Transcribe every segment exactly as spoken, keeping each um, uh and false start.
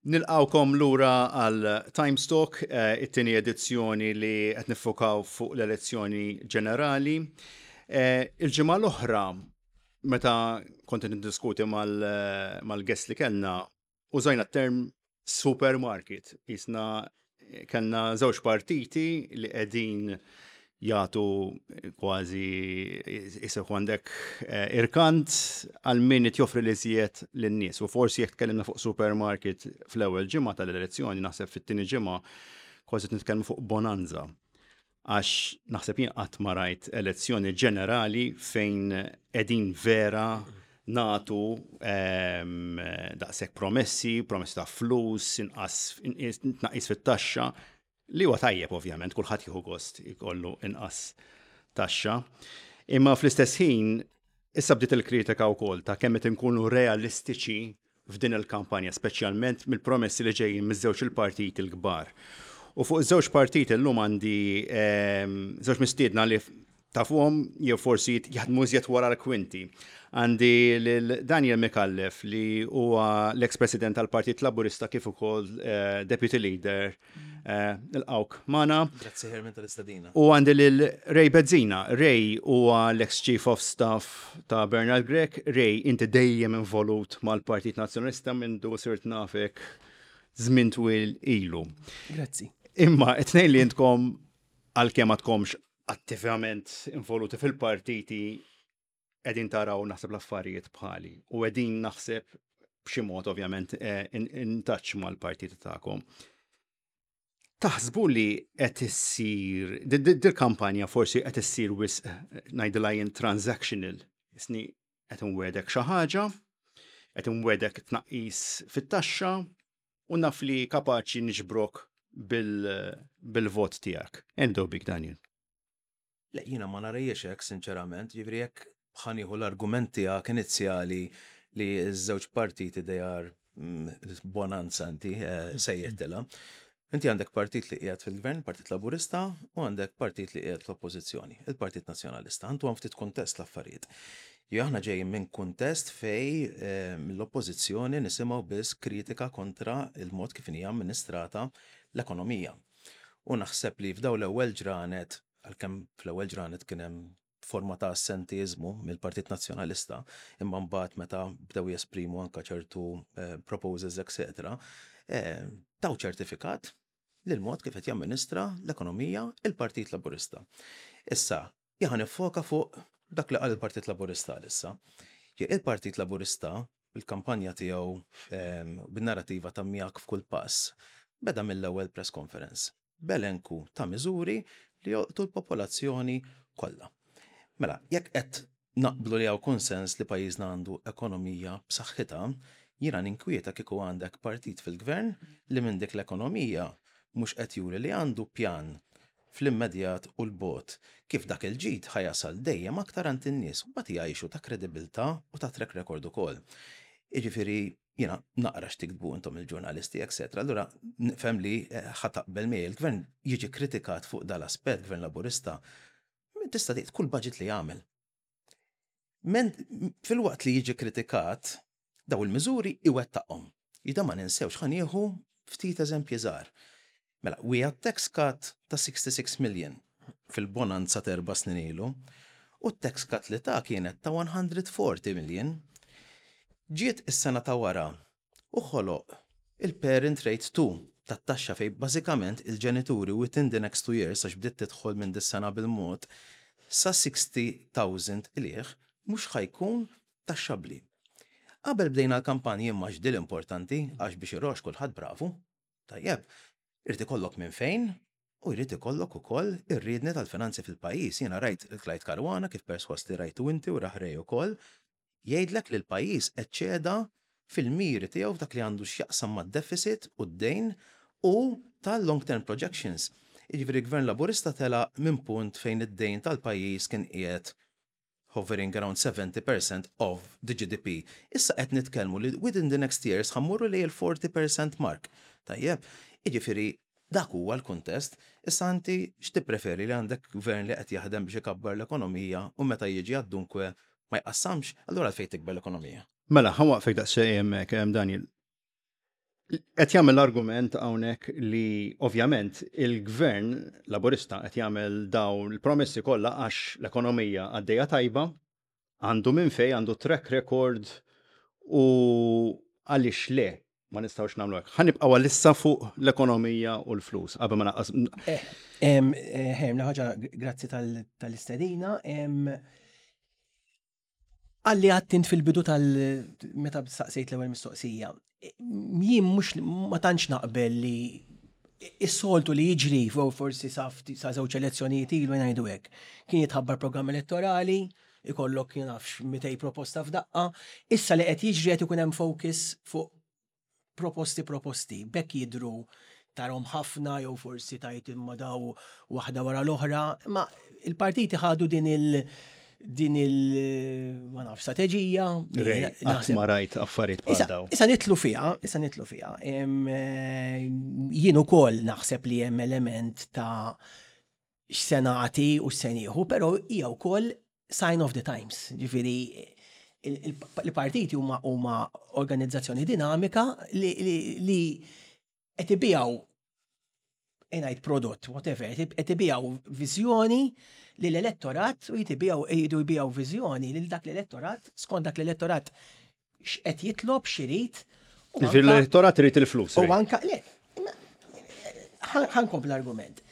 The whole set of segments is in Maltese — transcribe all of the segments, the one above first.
Nilqgħukom lura għal Times Talk, eh, it-tieni edizzjoni li qed niffokaw fuq l-elezzjoni ġenerali. Eh, il-ġimgħa l-oħra, meta kont niddiskuti mal-guest li kellna, użajna term supermarket. Jisna kellna żewġ partiti li qegħdin jagħtu kważi jisek għandek eh, irkant għal min joffri li żjed lin-nies. U forsi jekk tkellimna fuq supermarket fl-ewwel ġimgħa tal-elezzjoni, naħseb fit-tieni ġimgħa kważi nitkellmu fuq bonanza. Għax naħseb jien qatt ma rajt elezzjoni ġenerali fejn qegħdin vera nagħtu ehm, daqshekk promessi, promessi ta' flus, inqas tnaqqis fit-taxxa, li huwa tajjeb ovvjament, kulħadd jieħu gost ikollu inqas taxxa. Imma fl-istess ħin issa bdiet il-kritika wkoll ta' kemm qed inkunu realistiċi f'din il-kampanja, speċjalment mill-promessi li ġejjin miż-żewġ il-partiti l-kbar. U fuq iż-żewġ partiti llum għandi ehm, żewġ mistiedna li tafuhom jew forsi jaħdmu iżjed wara l-kwinti. Għandi lil Daniel Micallef, li huwa l-ex-president tal-Partit Laburista kif ukoll eh, deputy leader. Eh, Nilqgħuk magħna. Grazzi, Herman, tal-istedina. U għandi lil Ray Bezzina. Ray huwa l-ex-chief of staff ta' Bernard Grech. Ray, inti dejjem involut mal-Partit Nazzjonalista minn du sirt nafek żmien twil ilu. Grazzi. Imma it-tnejn li intkom, għalkemm għadkomx attivament involuti fil-partiti, qegħdin taraw naħseb l-affarijiet bħali u qegħdin naħseb b'xi mod ovvjament eh, in, in touch mal-partiti tagħkom. Taħsbu li qed issir dil-kampanja forsi qed issir wisq, ngħidilha jien, transactional, isni qed inwegħdek xi ħaġa, qed inwegħdek tnaqqis fit-taxxa u naf li kapaċi niġbrok bil-vot tiegħek? Endo bik, Daniel. Le, jiena ma narahiex hekk, sinċerament, jiġifieri jekk ħa nieħu l-argument tiegħek inizjali li ż-żewġ partiti they are mm, bonanza inti eh, sejjettilha. Inti għandek partit li qiegħed fil-gvern, Partit Laburista, u għandek partit li qiegħed fl-oppożizzjoni, il-Partit Nazzjonalista. Għandu għan ftit kuntest l-affarijiet. Jo aħna ġejjin minn kuntest fej eh, mill-oppożizzjoni nisimgħu biss kritika kontra il-mod kif hija amministrata l-ekonomija. U naħseb li f'daw l-ewwel ġranet, għalkemm fl-ewwel ġranet kien hemm forma ta' assentizmu mill-Partit Nazzjonalista, imma mbagħad meta bdew jesprimu anka ċertu eh, proposals, et cetera, eh, taw ċertifikat lil mod kif qed jamministra l-ekonomija il-Partit Laburista. Issa, jien ħa niffoka fuq dak li qal il-Partit Laburista issa. Il-Partit Laburista bil-kampanja tiegħu, ehm, bin-narrativa ta' miegħek f'kull pass, beda mill-ewwel press conference b'elenku ta' miżuri li jolqtu l-popolazzjoni kollha. Mela, jekk qed naqblu li hawn konsens li pajjiżna għandu ekonomija b'saħħitha, jiena ninkwieta kieku għandek partit fil-gvern li minn dik l-ekonomija mhux qed juri li għandu pjan fl-immedjat u l-bogħod kif dak il-ġid ħa jasal dejjem aktar għand in-nies u mbagħad jgħixu ta' kredibilità u ta' track record ukoll. Jiġifieri jiena naqra x'tiktbu intom il-ġurnalisti, et cetera. Allura nifhem li eh, ħa taqbel miegħi, il-gvern jiġi kritikat fuq dal-aspett, Gvern Laburista, tista' tgħid kull budget li jagħmel. Men filwaqt li jiġi kritikat, daw il-miżuri iwettaqhom. Jida ma ninsewx, ħa nieħu ftit eżempji żgħar. Mela, we had tax cut ta' sixty-six million fil-bonanza ta' erba' snin ilu, u t-tax cut li ta' kienet ta' one hundred forty million. Ġiet is-sena ta' wara u ħoloq il-parent rate two tat-taxxa fej bażikament il-ġenituri within the next two years, għax bdiet tidħol minn dis-sena bil-mod, sa sixty thousand ilieħ mhux ħa jkun taxxabli. Qabel bdejna l-kampanji, imma x'dil importanti, għax biex irox kulħadd bravu. Tajjeb, irid ikollok minn fejn u jrid ikollok ukoll ir-riedni tal-finanzi fil-pajjiż. Jiena rajt il-Clyde Caruana, kif perswas li rajtu inti u raħrej ukoll, jgħidlek li l-pajjiż eċċeda fil-miri tiegħu f'dak li għandu x'jaqsam mad-deficit u d-dejn u tal-long term projections. Jiġifieri Gvern Laburista tela minn punt fejn id-dejn tal-pajjiż kien qiegħed hovering around seventy percent of the G D P. Issa qed nitkellmu li within the next years ħa mmorru li l-forty percent mark. Tajjeb, jiġifieri dak huwa l-kuntest. Issa inti x'tippreferi, li għandek gvern li qed jaħdem biex ikabbar l-ekonomija u meta jiġi għad-dunkwe ma jqassamx, allura għalfejn tikber l-ekonomija? Mela, ħa nwaqqfek daqsxejn hemmhekk, Daniel. Qed jagħmel l-argument hawnhekk li ovvjament il-gvern Laburista qed jagħmel dawn il-promessi kollha għax l-ekonomija għaddejja tajba, għandu minn fej, għandu track record u għaliex le ma nistgħux nagħmlu hekk. Ħa nibqgħu għalissa fuq l-ekonomija u l-flus qabel ma naqqas. Eh, Herm, ħaġa, grazzi tal-istedina. Għalli għattint fil-bidu tal meta saqsejt l-ewwel mistoqsija. Jien mhux ma tantx naqbel li is-soltu li jiġri fuq forsi sa sa żewġ elezzjonijiet ilu, ngħidu hekk. Kien jitħabbar programm elettorali, ikollok nafx mitejn proposta f'daqqa. Issa li qed jiġri, qed ikun hemm focus fuq proposti proposti, bekk jidru tarahom ħafna jew forsi tajt imma daw waħda wara l-oħra, ma il-partiti ħadu din il- din il ma naf strateġija. Qatt ma rajt affarijiet bħal daw. Issa nidħlu fiha, issa nidħlu fiha. Eh, jien ukoll naħseb li hemm element ta' x'se nagħti u x'se nieħu, però hija wkoll sign of the times. Ġifieri il-partiti huma huma organizzazzjoni dinamika li qed ibigħu, ngħid prodott, whatever, qed ibigħu viżjoni li l-elettorat u jtibigħu jridu jbigħu viżjoni lil dak l-elettorat skont dak l-elettorat x'qed jitlob, x'irid. L-elettorat irid il-flus. U anka, le, ħa nkompli l-argument.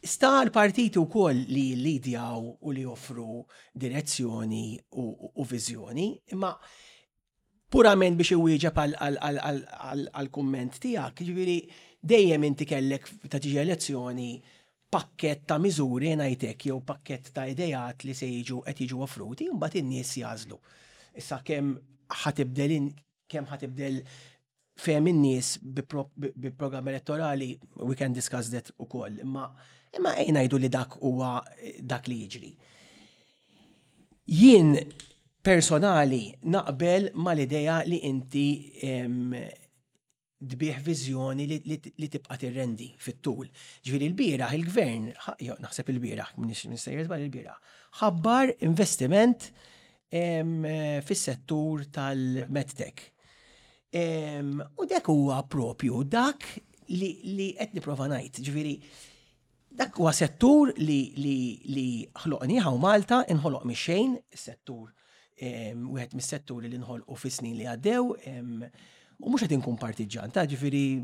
Sta l-partiti wkoll li lidjaw u li joffru direzzjoni u viżjoni, imma purament biex iwieġeb għal-kumment tiegħek, ġifieri dejjem inti kellek ta' tiġi elezzjoni pakket ta' miżuri, ngħidlek, jew pakket ta' idejat li se jiġu qed jiġu offruti, u mbagħad in-nies jagħżlu. Issa kemm ħa tibdel kemm ħa tibdel fehm in-nies bi programm elettorali, we can discuss that ukoll, imma imma ejja ngħidu li dak huwa dak li jiġri. Jien personali naqbel mal-idea li inti tbigħ viżjoni li, li, li tibqa' tirrendi fit-tul. Ġifieri l-bieraħ il-gvern, naħseb il-bieraħ, m'iniex żball, il-bieraħ, ħabbar investiment fis-settur tal-medtech. U dak huwa propju dak li, li qed nipprova ngħid. Ġifieri dak huwa settur li li li ħloqnieh hawn Malta, inħoloq mix-xejn, is-settur wieħed mis-setturi li nħolqu fis-snin li għaddew, u mhux qed inkun partiġan, ta' ġifieri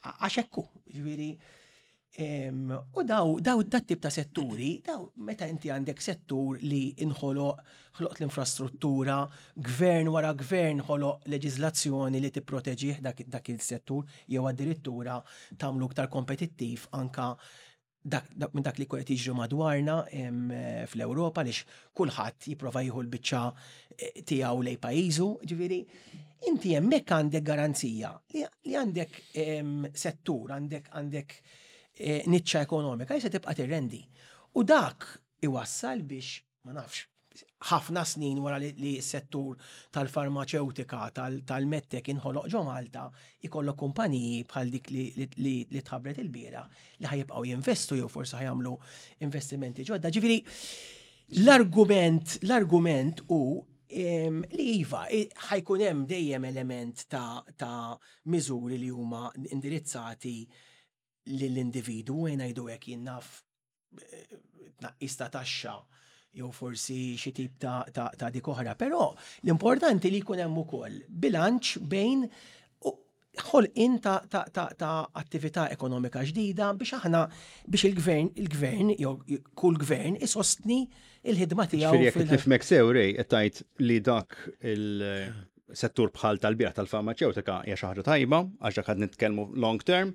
għax hekk hu, ġifieri u daw daw dat tip ta' setturi, daw meta inti għandek settur li inħoloq, ħloqt l-infrastruttura, gvern wara gvern ħoloq leġiżlazzjoni li tipproteġih dak, dak il-settur jew addirittura tagħmlu iktar kompetittiv anka dak, dak, minn dak li qed jiġri madwarna fl-Ewropa, għaliex kulħadd jipprova jieħu l-biċċa eh, tiegħu lej pajjiżu, ġifieri inti hemmhekk għandek garanzija li, li għandek settur, għandek għandek eh, niċċa ekonomika li se tibqa' tirrendi. U dak iwassal biex, ma nafx, ħafna snin wara li, li s-settur tal-farmaċewtika, tal-medtech inħoloq ġo Malta, ikollok kumpaniji bħal dik li, li, li, li tħabbret il-bieraħ li ħa jibqgħu jinvestu jew forsi ħa jagħmlu investimenti ġodda. Ġifieri l-argument l-argument hu li iva, ħa jkun hemm dejjem element ta', ta' miżuri li huma indirizzati lill-individu, ngħidu hekk, jien naf, eh, tnaqqis ta' taxxa jew forsi xi tip ta', ta, ta' dik oħra, però l-importanti li jkun hemm ukoll bilanċ bejn ħolqien ta', ta, ta, ta' attività ekonomika ġdida biex aħna biex il-gvern il-gvern jew kull gvern isostni il-ħidma tiegħu. Ġifieri jekk nifhmek sew, Ray, qed tgħid li dak il-settur bħal tal-bieraħ tal-farmaċewtika hija xi ħaġa tajba għax dak qed nitkellmu long term,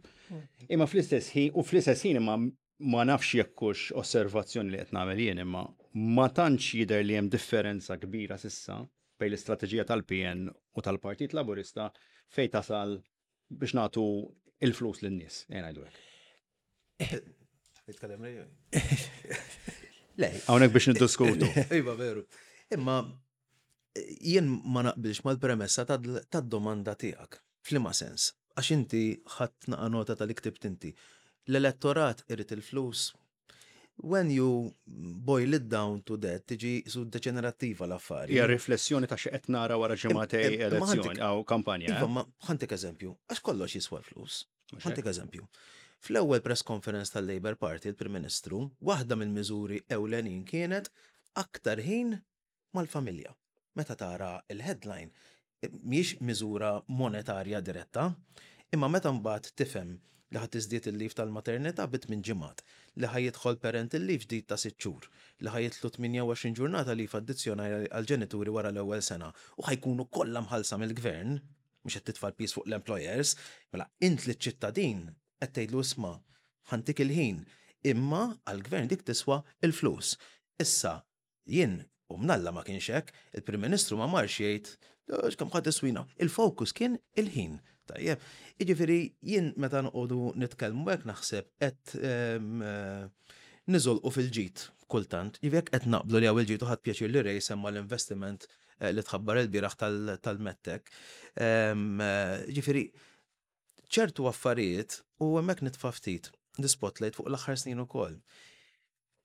imma fl-istess ħin u fl-istess ħin imma ma nafx jekk hux osservazzjoni li qed nagħmel jien, imma ma tantx jidher li hemm differenza kbira s'issa bejn l-istrateġija tal-P N u tal-Partit Laburista fejn tasal biex nagħtu il-flus lin-nies, ejja ngħidu hekk. Nitkellem lej. Le, Hawnhekk biex niddiskutu. Iva, veru. Imma jien ma naqbilx mal-premessa tad-domanda tiegħek. F'liema sens? Għax inti ħadd naqa nota tal ktibt inti. L-elettorat irid il-flus. When you boil it down to that, tiġi su deġenerattiva l-affari. Hija riflessjoni ta' xi qed nara wara ġimagħtejn Im- imma elezzjoni jew kampanja. Iva, eh? ma ħa ntik eżempju, għax kollox jiswa l-flus. Mhux hekk? Ħa ntik eżempju. Fl-ewwel press conference tal-Labour Party, il-Prim Ministru, waħda mill-miżuri ewlenin kienet aktar ħin mal-familja. Meta tara il-headline, mhijiex miżura monetarja diretta, imma meta mbagħad tifhem li ħa tiżdied il-leave tal-maternità bi tmien ġimgħat, li ħa jidħol parental leave ġdid ta' sitt xhur, li ħa jidħlu tmienja u għoxrin ġurnata leave addizzjonali għal-ġenituri wara l-ewwel sena u ħa jkunu kollha mħallsa mill-gvern, mhux qed titfa' l-piż fuq l-employers, mela int li ċittadin qed tgħidlu isma' ħa ntik il-ħin, imma għall-gvern dik tiswa il-flus. Issa jien u mnalla ma kienx hekk, il-Prim Ministru ma marx jgħid "Għax kemm ħa tiswina." Il-fokus kien il-ħin. Tajjeb, jiġifieri jien meta noqogħdu nitkellmu hekk naħseb qed ehm, eh, niżolqu fil-ġid kultant. Jiġifieri jekk qed naqblu li hawn il-ġid u ħadt pjaċir li Ray semma l-investiment eh, li tħabbar il-bieraħ tal-MedTech. Ehm, eh, Jiġifieri ċertu affarijiet u hemmhekk nitfa' ftit l-spotlight fuq l-aħħar snin ukoll.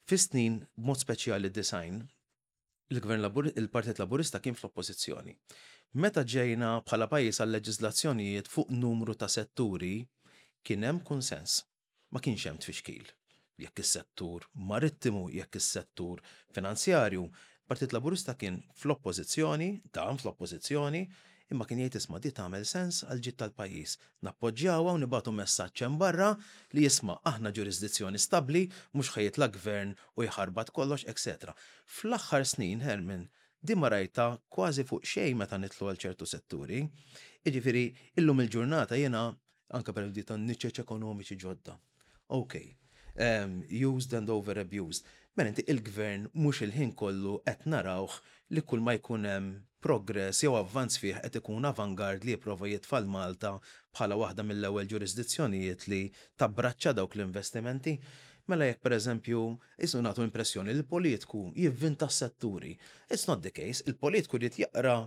Fi snin b'mod speċjali disgħin, il-Gvern Labur, il-Partit Laburista kien fl-oppożizzjoni. Meta ġejna bħala pajjiż għal leġiżlazzjonijiet fuq numru ta' setturi, kien hemm konsens. Ma kienx hemm tfixkil. Jekk is-settur marittimu, jekk is-settur finanzjarju, Partit Laburista kien fl-oppożizzjoni, dam fl-oppożizzjoni, imma kien jgħid isma' di tagħmel sens għal ġid tal-pajjiż. Nappoġġjawha u nibagħtu messaġġ hemm barra li jisma' aħna ġurisdizzjoni stabbli, mhux ħa jitla' gvern u jħarbat kollox, etcetera. Fl-aħħar snin, Herman, di ma rajta kważi fuq xejn meta nidħlu għal ċertu setturi. Jiġifieri, illum il-ġurnata jiena anke per di ta' niċeċ ekonomiċi ġodda. Ok, um, used and over abused. Mela inti il-gvern mhux il-ħin kollu qed narawh li kull ma jkun hemm progress jew avvanz fih qed ikun avangard li jipprova jitfa' Malta bħala waħda mill-ewwel ġurisdizzjonijiet li tabbraċċa dawk l-investimenti. Mela jekk pereżempju isu nagħtu impressjoni li l-politiku jivvinta s-setturi. It's not the case. Il-politiku jrid jaqra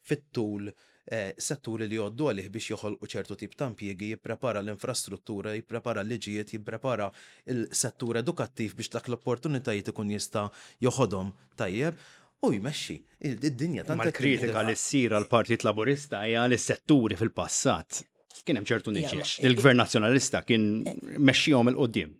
fit-tul eh, setturi li jgħoddu għalih biex joħolqu ċertu tip ta' impjiegi, jipprepara l-infrastruttura, jipprepara l-liġijiet, jipprepara il-settur edukattiv biex dak l-opportunitajiet ikun jista' joħodhom tajjeb u jmexxi. Id-dinja tant Ma qed l-kritika tinbidel. li ssir għal Partit Laburista hija li s-setturi fil-passat kien hemm ċertu Ja, niċeċ. ma- Il-Gvern Nazzjonalista kien mexxihom 'il quddiem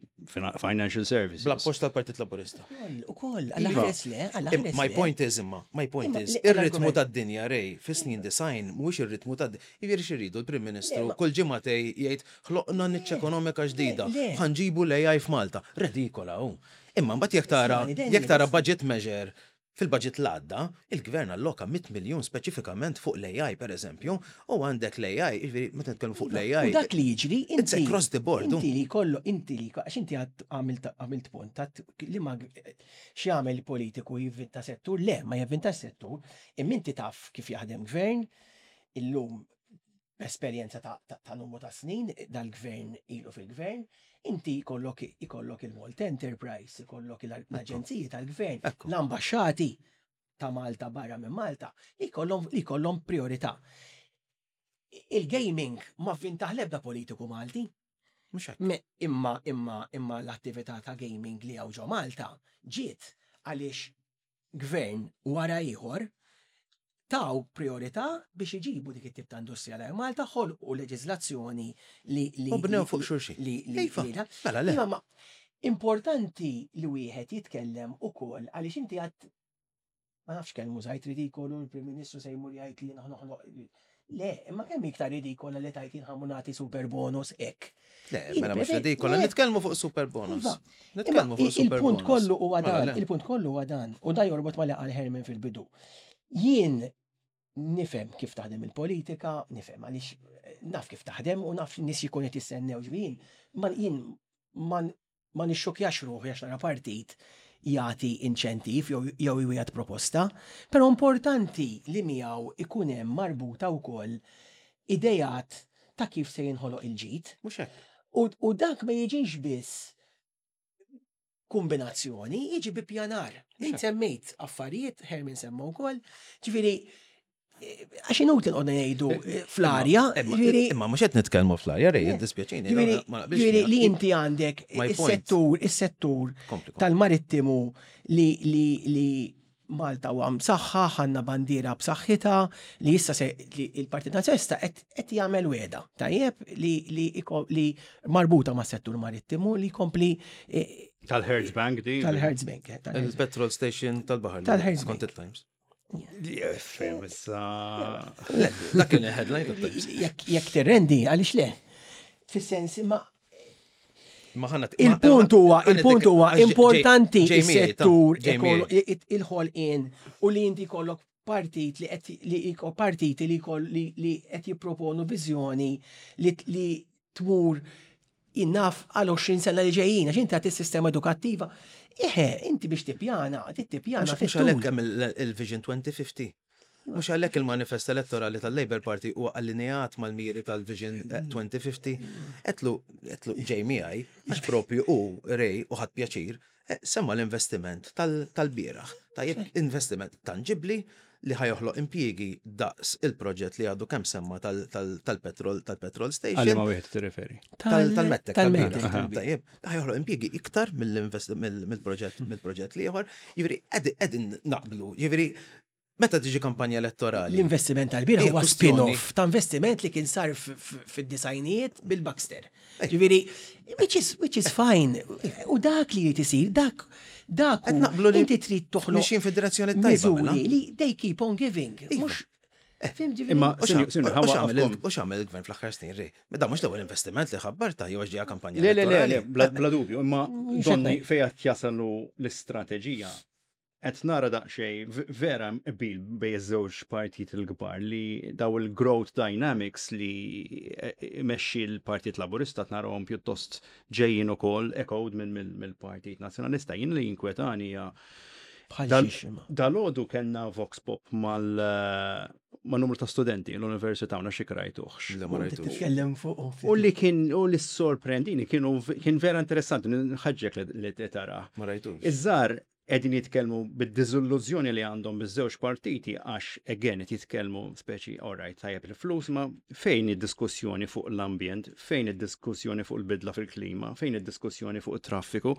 Financial Services. Bl-appoġġ tal-Partit Laburista. Ukoll, għalla ħares le, għalla ħares My le. point is imma, my point Imma is, li- ir-ritmu l-argument- tad-dinja Ray, fis-snin disgħin, mhuwiex ir-ritmu tad Jiġifieri x'iridu l-Prim Ministru Le, ma- kull ġimgħatej jgħid ħloqna niċċa ekonomika ġdida, le. ħa nġibu l-A I f'Malta. Redikola hu. Imma mbagħad jekk tara Ismani, Daniel, jekk tara budget measure fil-budget l-għadda, il-gvern alloka mitt miljun speċifikament fuq l-A I per eżempju, u għandek l-A I, jiġifieri meta nitkellmu fuq l-A I. U dak li jiġri, It's inti. across the board. Inti li kollu, inti li, għax inti għad għamilt għamilt punt, tat li ma x'jagħmel politiku jivvinta settur, le, ma jivvinta settur, imma inti taf kif jaħdem gvern, illum b'esperjenza ta', ta, ta' numru ta' snin, dal-gvern ilu fil-gvern, inti ikollok ikollok il-Malta Enterprise, ikollok l-aġenziji tal-gvern, Ekku. l-ambasċati ta' Malta barra minn Malta, li jkollhom li jkollhom priorità. Il-gaming ma vvintaħ l-ebda politiku Malti. Mhux hekk. Me, imma imma imma l-attività ta' gaming li hawn ġo Malta ġiet għaliex gvern wara ieħor taw priorità biex iġibu dik it-tip ta' industrija l Malta, ħolqu leġiżlazzjoni li li U bnew li- fuq xulxin. li li Iva, li da- mela le. Imma ma importanti li wieħed jitkellem ukoll għaliex inti għad ma nafx kemm użajt ridikolu l-Prim Ministru se jmur jgħid li noħloq. Le, imma kemm iktar ridikola li tajt inħamu nagħti super bonus hekk. Le, Jien mela mhux preferi- redikola, le. nitkellmu fuq super bonus. Iva. Nitkellmu Imma fuq super il-punt bonus. kollu huwa Mela dan, le. il-punt kollu huwa dan, u da jorbot ma li qal Herman fil-bidu. Jien nifhem kif taħdem il-politika, nifhem għaliex eh, naf kif taħdem u naf nies jkun qed jistennew ġbin. Ma jien ma ma nixxokjax ruħi għax nara partit jagħti inċentiv jew jew jwiegħed proposta, però importanti li miegħu ikun hemm marbuta wkoll idejat ta' kif se jinħoloq il-ġid. Mhux hekk. U, u dak ma jiġix biss kombinazzjoni, jiġi bi pjanar. Int semmejt affarijiet, Herman semma wkoll, ġifieri Għax inutli nqogħdu ngħidu fl-arja, Imma ġifieri imma mhux qed nitkellmu fl-arja, Ray, jiddispjaċini. ġifieri ma naqbilx ġifieri li miegħek. inti għandek My point. is-settur, is-settur Kompli, kompli. tal-marittimu li li li Malta huwa msaħħa, għandna bandiera b'saħħitha li issa se li il-Partit Nazzjonalista qed qed jagħmel wegħda. Tajjeb li li iko- li marbuta mas-settur marittimu li jkompli eh, Tal-Hertz Bank di. tal-Hertz Bank. eh, tal-Hertz Bank. Il-petrol station tal-baħar. Tal-Hertz Skont Bank. il-Times. Fem, issa. Le, dak kien il-headline tat-Times. Jekk jekk tirrendi, għaliex le? Fis-sens imma Ma ħana Il-punt huwa, il-punt huwa importanti is-settur il-ħolqien u li inti kollok partit li qed li iko partiti li jkoll li li qed jipproponu viżjoni li li tmur innaf għal għoxrin sena li ġejjin, għax inti għat is-sistema edukattiva. Eħe, inti biex tippjana, trid tippjana Mhux fit-tul. għalhekk hemm il- il-Vision twenty fifty. Mhux għalhekk il-manifest elettorali tal-Labour Party huwa allineat mal-miri tal-Vision eh, twenty fifty. Etlu, etlu Jamie għaj, għax propju u Ray u ħadd pjaċir, eh, semma l-investiment tal- tal-bieraħ. Tajjeb, investiment tangibli li ħa joħloq impjiegi daqs il-proġett li għadu kemm semma tal- tal- tal-petrol tal-petrol station. Għal ma wieħed tirreferi. Tal- Tal-MEDTEC. Tal-MEDTEC. Tal-bieraħ. Tajjeb, ħa joħloq impjiegi iktar mill-invest- mill- mill-proġett mill-proġett l-ieħor. Jiġifieri qegħdin naqblu. Jiġifieri meta tiġi kampanja elettorali. L-investiment tal-bieraħ Hija huwa kwestjoni. spin-off ta' investiment li kien sar f- f- fid-disgħinijiet bil-Baxter. Ġifieri, which is, which is fine. U dak li jrid isir, dak dak Qed hu- naqblu li inti trid toħloq mixjin fid-direzzjoni tajba, mela. miżuri li they keep on giving. Mhux Fim ġifieri. Imma U Sinju, sinju, x'għamel ħawa il- u x'għamel il-gvern fl-aħħar snin, Ray? Ma da mhux l-ewwel investiment li ħabbar ta' jew għax ġejja kampanja Le, le, le, le, elettorali. bla bla dubju, imma Mhux donni qed fejn qed jasalu l-istrateġija. Qed nara daqsxejn v- vera qbil bejn iż-żewġ partit il-kbar li daw il-growth dynamics li eh, imexxi l-Partit Laburista narahom pjuttost ġejjin ukoll echoed minn mill- mill-Partit Nazzjonalista. Jien li jinkwetani hija Bħal Dal- xiex imma. Dal-għodu kellna Vox Pop mal ma' numru ta' studenti l-università u xi rajtuhx. Le, ma rajtux. Titkellem fuq. U li kien u li sorprendini kienu kien vera interessanti, nħaġġek li li tara. Ma rajtux. Iż-żgħar qegħdin jitkellmu bid-diżillużjoni li għandhom biż-żewġ partiti għax again qed jitkellmu speċi alright, tajjeb il-flus, ma fejn id-diskussjoni fuq l-ambjent, fejn id-diskussjoni fuq il-bidla fil-klima, fejn id-diskussjoni fuq it-traffiku.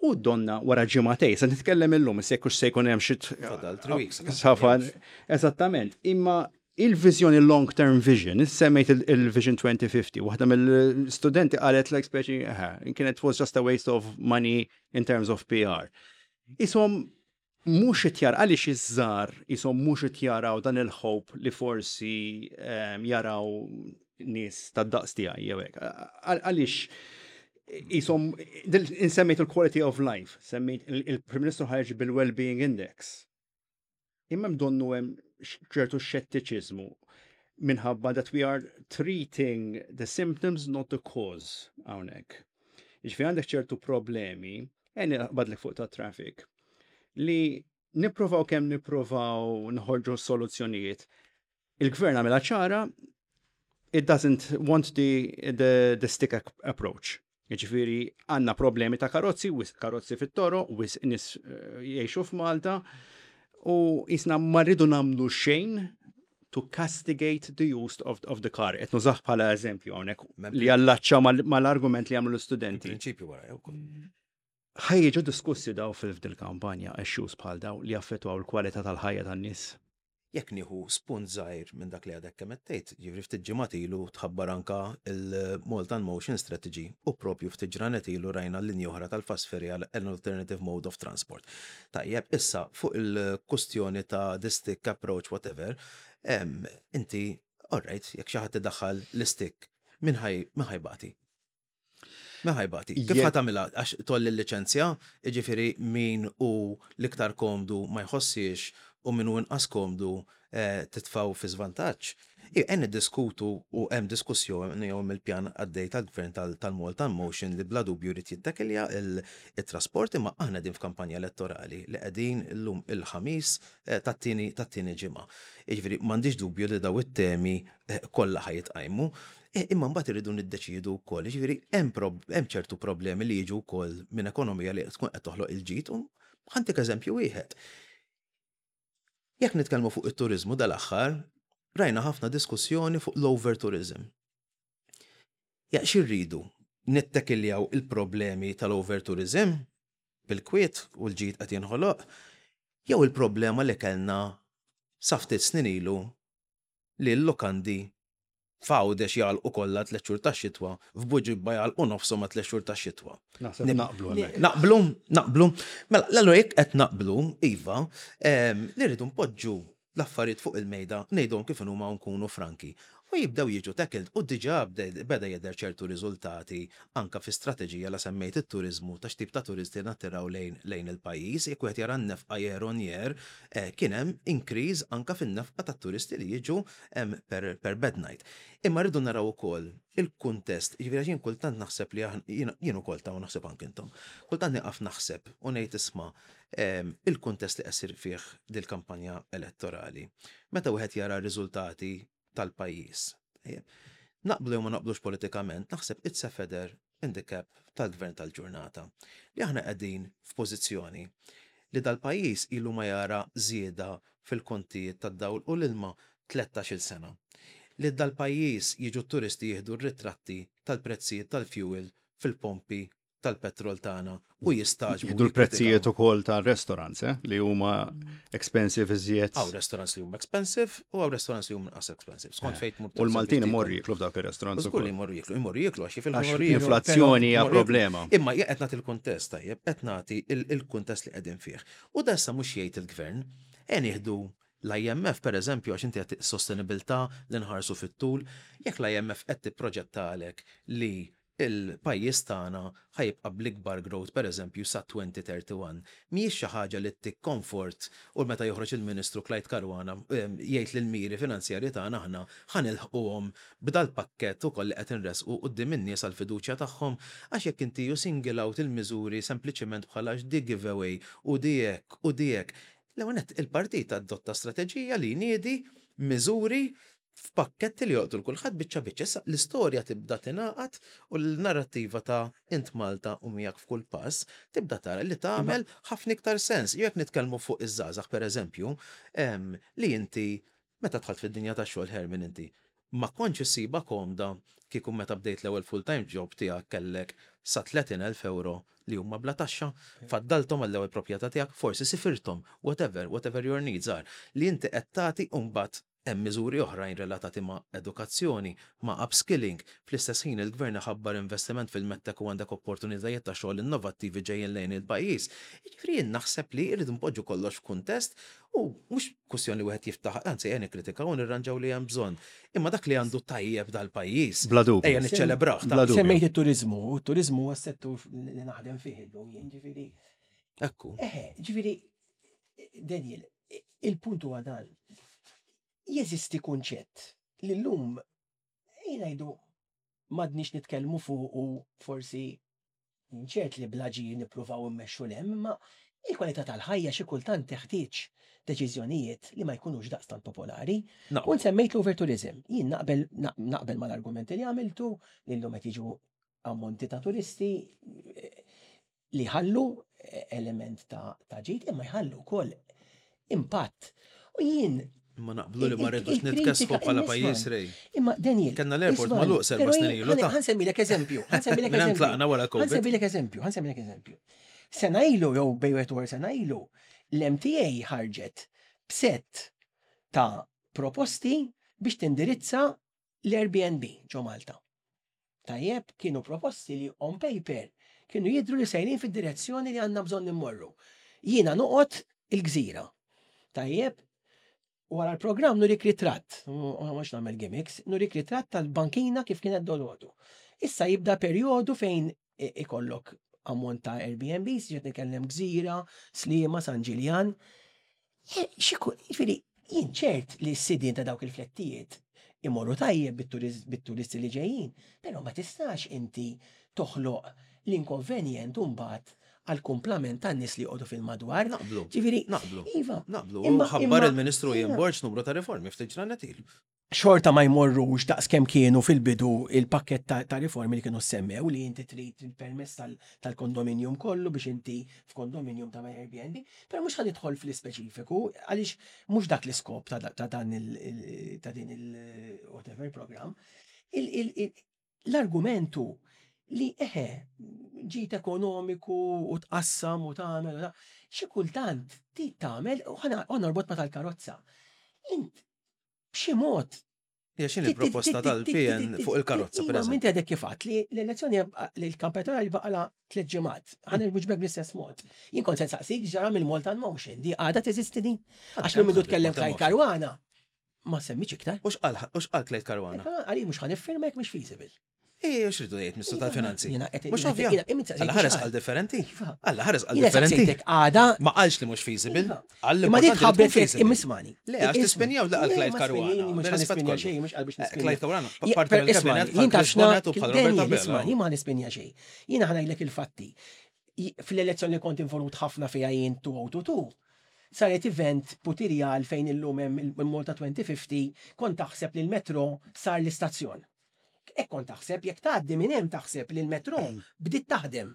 U donna wara ġimagħtejn, se nitkellem illum, se jekk se jkun hemm xi Fadal three weeks. Safar, eżattament. Imma il-viżjoni, long term vision, semmejt il- il-Vision twenty fifty, waħda mill-studenti qalet like speċi, eh, kienet was just a waste of money in terms of P R. Isom mhux qed għaliex iż-żgħar isom mhux qed jaraw dan il-hope li forsi em, jaraw nies tad-daqs tiegħi jew hekk. Għal- Għaliex isom insemmejt il-quality of life, semmejt il- il-Prim Ministru ħareġ bil-Well-being Index. Imma donnu hemm ċertu xettiċiżmu minħabba that we are treating the symptoms, not the cause hawnhekk. Jiġifieri għandek ċertu problemi, eni badlek fuq ta' traffic, li nipprovaw kemm nipprovaw nħorġu soluzzjonijiet. Il-gvern għamela ċara, it doesn't want the, the, the stick ap- approach. Jiġifieri għandna problemi ta' karozzi, wisq karozzi fit-toroq, wisq nies eh, jgħixu f'Malta, u jisna ma rridu nagħmlu xejn to castigate the use of, of the car. Qed nużah bħala eżempju hawnhekk Mem- li jallaċċa mal- mal-argument li għamlu l-studenti. Prinċipju wara jew ukoll. Ħa jiġu diskussi daw fil-kampanja, issues bħal daw li jaffettwaw il-kwalità tal-ħajja tan-nies? Jekk nieħu spunt żgħir minn dak li għadek kemm qed tgħid, jiġifieri ftit ġimgħat ilu tħabbar anka il-Malta Motion Strategy u propju ftit ġranet ilu rajna l-linja oħra tal-fast ferry għal an alternative mode of transport. Tajjeb, issa fuq il-kustjoni ta' the stick approach, whatever, em, inti, alright, jekk xi ħadd idaħħal l-stick, min ħa j- min ħa jbati? Min ħa jbati? Kif Jekk- ħa tagħmilha? Għax tgħolli l-liċenzja, jiġifieri min hu l-iktar komdu ma jħossiex u min hu inqas komdu eh, titfaw fi żvantaġġ. Hemm niddiskutu u hemm diskussjoni jew il-pjan għaddej tal-gvern tal- tal-Malta Motion li bla dubju jrid jittakilja il-trasport, imma aħna din f'kampanja elettorali li qegħdin illum il-Ħamis eh, tat-tieni tat-tieni ġimgħa. Jiġifieri m'għandix dubju li daw it-temi eh, kollha ħa jitqajmu. Eh, Imma mbagħad irridu niddeċiedu wkoll, jiġifieri hemm prob- hemm ċertu problemi li jiġu wkoll minn ekonomija li tkun qed toħloq il-ġid, u ħa ntik eżempju wieħed. Jekk nitkellmu fuq it-turizmu dal-aħħar, rajna ħafna diskussjoni fuq l-overtourism. Ja, x'irridu? Nittekiljaw il-problemi tal-overtourism bil-kwiet u l-ġid qed jinħoloq, jew il-problema li kellna sa ftit snin ilu li l-lokandi f'Għawdex jagħlqu kollha tliet xhur tax-xitwa, f'Buġibba jagħlqu nofshom ma' tliet xhur tax-xitwa. Naħseb naqblu hemmhekk. Naqblu, naqblu. Mela, l-allura jekk qed naqblu, iva, em, li rridu npoġġu l-affarijiet fuq il-mejda, ngħidhom kif huma u nkunu franki. U jibdew jiġu tackled u diġà bde- beda jidher ċertu riżultati anka fi strateġija la semmejt it-turizmu ta' x'tip ta' turisti nattiraw lejn lejn il-pajjiż, jekk wieħed jara n-nefqa year on year, eh, kien hemm increase anka fin-nefqa tat-turisti li jiġu em, per, per bed night. Imma rridu naraw ukoll il-kuntest, jiġifieri jien kultant naħseb li aħna- jien jien ukoll ta' u naħseb anke intom. Kultant nieqaf naħseb u ngħid isma' em, il-kuntest li qed fih dil-kampanja elettorali. Meta wieħed jara r-riżultati tal-pajjiż. Ejja. Naqblu jew ma naqblux politikament, naħseb it's a feather in the cap tal-gvern tal-ġurnata. Li aħna qegħdin f'pożizzjoni li dal-pajjiż ilu ma jara żieda fil-kontijiet tad-dawl u l-ilma tlettax-il sena. Li dal-pajjiż jiġu turisti jieħdu r-ritratti tal-prezzijiet tal-fuel fil-pompi tal-petrol tagħna u jistagħġbu. Jieħdu l-prezzijiet ukoll tal-restaurants, eh, li huma expensive iżjed. Hawn restaurants li huma expensive u hawn restaurants li huma inqas expensive. Skont fejn tmur. U l-Maltin imorru jiklu f'dawk ir-restaurants Żgur li ukoll. jmorru jiklu, jmorru jiklu għax Għax jifilħu jmorru inflazzjoni hija Jmorru jiklu. problema. Imma jien qed nagħti il-kuntest tajjeb, qed nagħti il- il-kuntest li qegħdin fih. U dessa mhux jgħid il-gvern, e nieħdu l-I M F per eżempju, għax inti qed sostenibilità li nħarsu fit-tul, jekk l-I M F qed tipproġettalek li il-pajjiż tagħna ħa jibqa' bl-ikbar growth per eżempju sa elfejn u wieħed u tletin, mhijiex xi ħaġa li ttik comfort u meta joħroġ il-Ministru Clyde Caruana em, jgħid li l-miri finanzjarji tagħna aħna ħa nilħquhom b'dal pakkett ukoll li qed inresqu quddiem in-nies għall-fiduċja tagħhom, għax jekk inti you single out il-miżuri sempliċement bħala di giveaway u di hekk u di hekk. L-ewwel nett il-partit adotta strateġija li jniedi miżuri f'pakketti li joqtu l-kulħadd biċċa biċċa. Issa l-istorja tibda tingħaqad u l-narrattiva ta' int Malta u miegħek f'kull pass tibda tara li tagħmel ħafna iktar sens. Jekk nitkellmu fuq iż-żgħażagħ pereżempju, em, li inti meta dħalt fid-dinja tax-xogħol, Herman, inti ma kontx issibha komda kieku meta bdejt l-ewwel full-time job tiegħek kellek sa tletin elf euro li huma bla taxxa, faddaltom għall-ewwel proprjetà tiegħek, forsi sifirtom, whatever, whatever your needs are. Li inti qed tagħti u mbagħad hemm miżuri oħrajn relatati ma' edukazzjoni, ma' upskilling. Fl-istess ħin il-gvern ħabbar investiment fil-MedTech u għandek opportunitajiet ta' xogħol innovattivi ġejjin lejn il-pajjiż. Jiġifieri jien naħseb li rridu npoġġu kollox f'kuntest u mhux kwestjoni li wieħed jiftaħ, anzi ejja nikkritikaw u nirranġaw li hemm bżonn. Imma dak li għandu tajjeb dal-pajjiż, Bla dubju. ejja niċċelebraw. Bla dubju. Semmejt it-turizmu, u t-turizmu huwa s-settur li naħdem fih illum jien, ġifieri. Ekku. Eħe, ġifieri, Daniel, il-punt huwa dan. Jeżisti kunċett li llum ngħidu m'għadniex nitkellmu fuq u forsi ċert li blaġi nippruvaw immexxu 'l hemm, imma il-kwalità tal-ħajja xi kultant teħtieġ deċiżjonijiet li ma jkunux daqstant popolari. Naqbel. U semmejt l-overtourism. Jien naqbel naqbel mal-argumenti li għamiltu li llum qed jiġu ammonti ta' turisti eh, li ħallu eh, element ta' ta' ġid imma jħallu wkoll impatt. U jien Ma naqblu li ma il- rridux il-kritika- nitkessfu bħala isma' pajjiż rej. Imma Daniel, Kellna l-airport isma' magħluq serba però snin jien- ilu ta' ħa nsemmilek eżempju, ħa nsemmilek Minn hemm eżempju. tlaqna wara COVID. Ħa nsemmilek eżempju, ħa nsemmilek eżempju. Sena ilu jew bejn wieħed u sena ilu, l-M T A ħarġet b'set ta' proposti biex tindirizza l-Airbnb ġo Malta. Tajjeb, kienu proposti li on paper kienu jidru li sejrin fid-direzzjoni li għandna bżonn immorru. Jiena noqgħod il-Gżira. Tajjeb, wara l-programm nurik ritratt, mhux nagħmel gimmicks, nurik ritratt tal-bankina kif kienet dolodu. Issa jibda perjodu fejn i- ikollok ammont ta' Airbnbs, ġiet nitkellem Gżira, Sliema, San Ġiljan. E, xiku, jiġifieri, jien ċert li s-sidien ta' dawk il-flettijiet imorru tajjeb bit-turiz- bit-turisti li ġejjin, però ma tistax inti toħloq l-inkonvenjent mbagħad għal kumplament tan-nies li joqogħdu fil-madwar. Naqblu. Ġifieri, Naqblu. iva, Naqblu. Imma- Ħabbar imma- il-Ministru Ian iva. Borg numru ta' riformi ftit ġranet ilu. Xorta ma jmorrux daqs kemm kienu fil-bidu il-pakket ta', ta' riformi li kienu semmew, li inti trid il-permess tal- tal-kondominium kollu biex inti f'kondominium ta' Airbnb, però mhux ħa nidħol fl-ispeċifiku għaliex mhux dak l-iskop ta', ta' dan il, il- ta' din il whatever program. Il- il- il- L-argumentu li eħe ġit ekonomiku u tqassam u tagħmel u ta' xi kultant ti tagħmel u ħa norbot ma tal-karozza. Int b'xi mod Hija x'inhi il-proposta tal-P N fuq il-karozza, per Iva, eżempju? Minti għadek kif għedt li l-elezzjoni, li l-kampanja elettorali baqala tliet ġimgħat. Ħa nwieġbek bl-istess mod. Jien kont se nsaqsik ġara mill-Malta Motion, di għadha teżisti din? Għax minn mindu tkellem Clyde Caruana, ma semmiċ iktar. U x'qal u x'qal Clyde Caruana? Għali mhux ħa niffirma jekk mhux feasible. Ej, u x'ridu jgħid Ministru tal-Finanzi? Jiena qed- Mhux jiena- ovvja. jiena- imma Alla ħares qal differenti. Iva. Alla ħares qal Jiena differenti. saqsejtek għada. Ma qalx li mhux feasible. Iva. Qal li Imma di importanti li tkun tħabbret feasible. imma ismagħni. Le, għax tispenjaw li qal Le, Clyde ma Caruana. spinjini, mhux Bir-rispett ħa nispinja kollu. xejn, mhux qal biex Eh, nispinja. Clyde Caruana, Je- parti per- mill-kabinet ismagħni, bħal jien taf Chris Bonett u x'na- bħal Robert Daniel, Abela. ismagħni, ma nispinja xejn. Jiena ħa ngħidlek il-fatti. I- Fl-elezzjoni li kont involut ħafna fiha jien elfejn u tnejn u erbgħin, saret event putirjal fejn illum hemm il-Malta elfejn u ħamsin, kont taħseb li l-metro sar l-istazzjon. Hekk kont taħseb, jekk tgħaddi minn hemm taħseb li l-metro bdiet taħdem.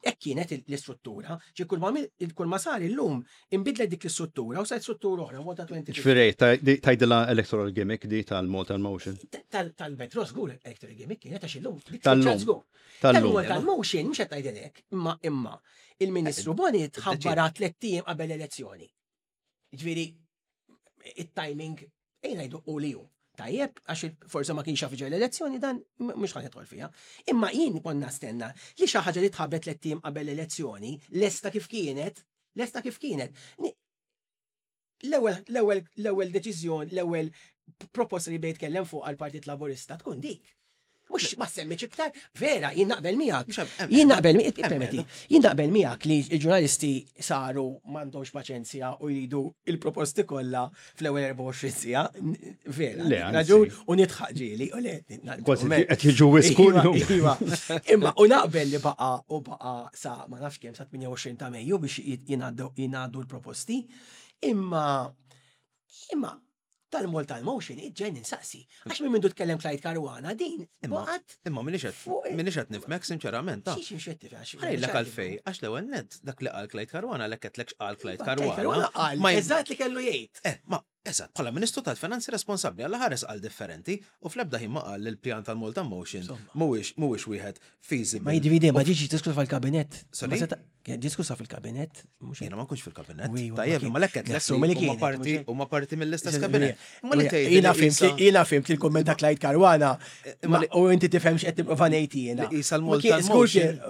Hekk kienet l-istruttura, ġi kull ma kull ma sar illum inbidlet dik l-istruttura u saret struttura oħra, Malta elfejn u ħamsin. Ġifieri, tgħidilha electoral gimmick di tal-Malta Motion? Tal-metro żgur electoral gimmick kienet, għax illum dik Tal-lum. żgur. Tal-lum. Tal-Malta Motion mhux qed tgħidilek, imma imma il-Ministru Bonett ħabbara tliet ijiem qabel l-elezzjoni. Ġifieri it-timing ejja ngħidu u li hu. Tajjeb, għax forse ma kienx jaf ġej l-elezzjoni, dan mhux ħa nidħol fiha. Imma jien konna stenna li xi ħaġa li tħabbret tliet ijiem qabel l-elezzjoni, lesta kif kienet, lesta kif kienet. L-ewwel l-ewwel l-ewwel deċiżjoni, l-ewwel proposta li bejt kellem fuq għal-Partit Laburista tkun dik. Mhux ma semmiċ iktar, vera, jien naqbel miegħek. Jien naqbel miegħek, permetti, jien naqbel miegħek li l-ġurnalisti saru m'għandhomx paċenzja u jridu il-proposti kollha fl-ewwel erbgħa u għoxrin siegħa, vera. Raġun u nidħaq ġieli, u le. Kważi qed jiġu wiskullu. Iva, imma u naqbel li baqa u baqa sa ma nafx kemm, sa tmienja u għoxrin ta' Mejju biex jingħaddu l-proposti. Imma imma tal-Malta Motion iġġen insaqsi. Għax minn mindu tkellem Clyde Caruana din baqgħet. Imma minix qed nifhmek sinċerament. Xiex mhux qed tifhem? Ħa ngħidlek għalfej, għax l-ewwel net dak li qal Clyde Caruana lek qed qal Clyde Caruana. Qal eżatt li kellu jgħid. Eh, ma eżatt, bħala Ministru tal-Finanzi responsabbli, għalla ħares qal differenti u fl-ebda ħin ma qal li l-pjan tal-Malta Motion mhuwiex mhuwiex wieħed feasible. Ma jiġifieri ma ġiġi diskussa fil-kabinett. Kien diskussa fil-kabinett. Jiena ma nkunx fil-kabinett. Tajjeb, ma lekket lek huma parti huma parti mill-istess kabinett. Jiena fhimt jiena fhimt il-kumment ta' Clyde Caruana u inti tifhem x'qed tipprova ngħid jiena. Isa l-Malta Motion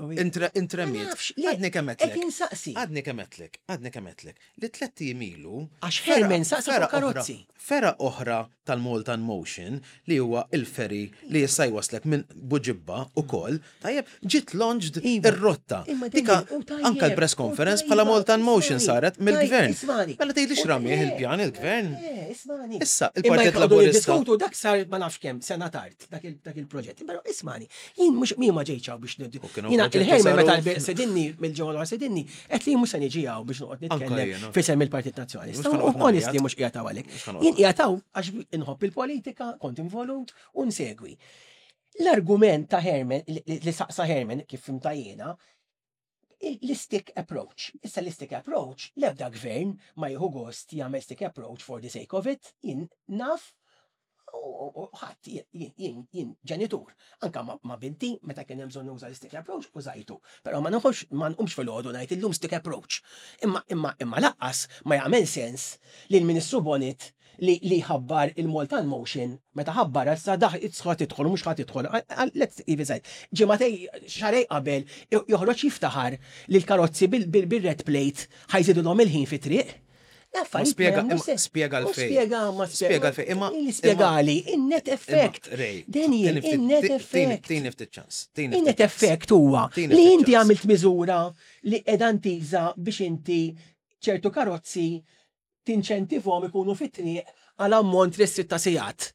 intremiet. Għadni kemm Qed insaqsi. Għadni kemm għedtlek, għadni kemm għedtlek li tlett ijiem ilu. Għax Herman saqsa fuq karozzi. Fergħa oħra tal-Malta Motion li huwa il-ferry li jista' jwaslek minn Buġibba ukoll, tajjeb, ġiet launched Iva. ir-rotta. Imma Dika Daniel, u tajjeb, anka l-press u conference tajba, bħala Malta Motion ismagħni, saret tajb, mill-gvern. ismagħni. Mela tgħidli U x'ramih le, il-pjan il-gvern. Le, ismagħni. Issa, Imma il-Partit jekk għadu Laburista. niddiskutu dak sar ma nafx kemm sena tard dak il- dak il-proġett. Però ismagħni, jien mhux min ma ġejtx hawn biex nid. U kienu Jiena proġetti il-Herman meta saru- sedinni mill-ġewwa l sedinni, qed li mhux se niġi hawn biex noqgħod Anka nitkellem jiena. fisem il-Partit Nazzjonalista. Mhux ħa noqgħod U honestly ngħajjat. mhux qiegħed hawn għalhekk. Mhux ħa noqgħod Jien qiegħed hawn għax inħobb il-politika, kont involut u nsegwi. L-argument ta' Herman, li li saqsa Herman, kif fhimtha jiena, l-stick approach. Issa l-stick approach, l-ebda gvern ma jieħu gost jagħmel stick approach for the sake of it, jien naf u- u ħadd jien jien jien ġenitur. Anka ma, ma binti meta kien hemm bżonn nuża l-stick approach użajtu. Però ma nħobbx ma nqumx fil-għodu ngħid illum stick approach. Imma imma imma lanqas ma jagħmel sens li l-Ministru Bonett li li ħabbar il-Malta Motion meta ħabbar issa daħ ħa tidħol u mhux ħa tidħol. Let's even say. Ġimagħtejn, xahrejn qabel joħroġ jiftaħar li l-karozzi bil-red plate ħa jżidulhom il-ħin fit-triq. Ma spjega- imma spjega l-fej. Spjega, ma Spjega l-fej, imma- Spjegali, in-net effect. Imma, Ray, Daniel, tini ftit- in-net tini- effect. Tini ftit ċans. Tini In-net ftit ċans. effect huwa Tini li ftit inti ċans. għamilt miżura li qiegħda ntiża biex inti ċertu karozzi tinċentivhom ikunu fit-triq għal ammont restrit ta' sigħat.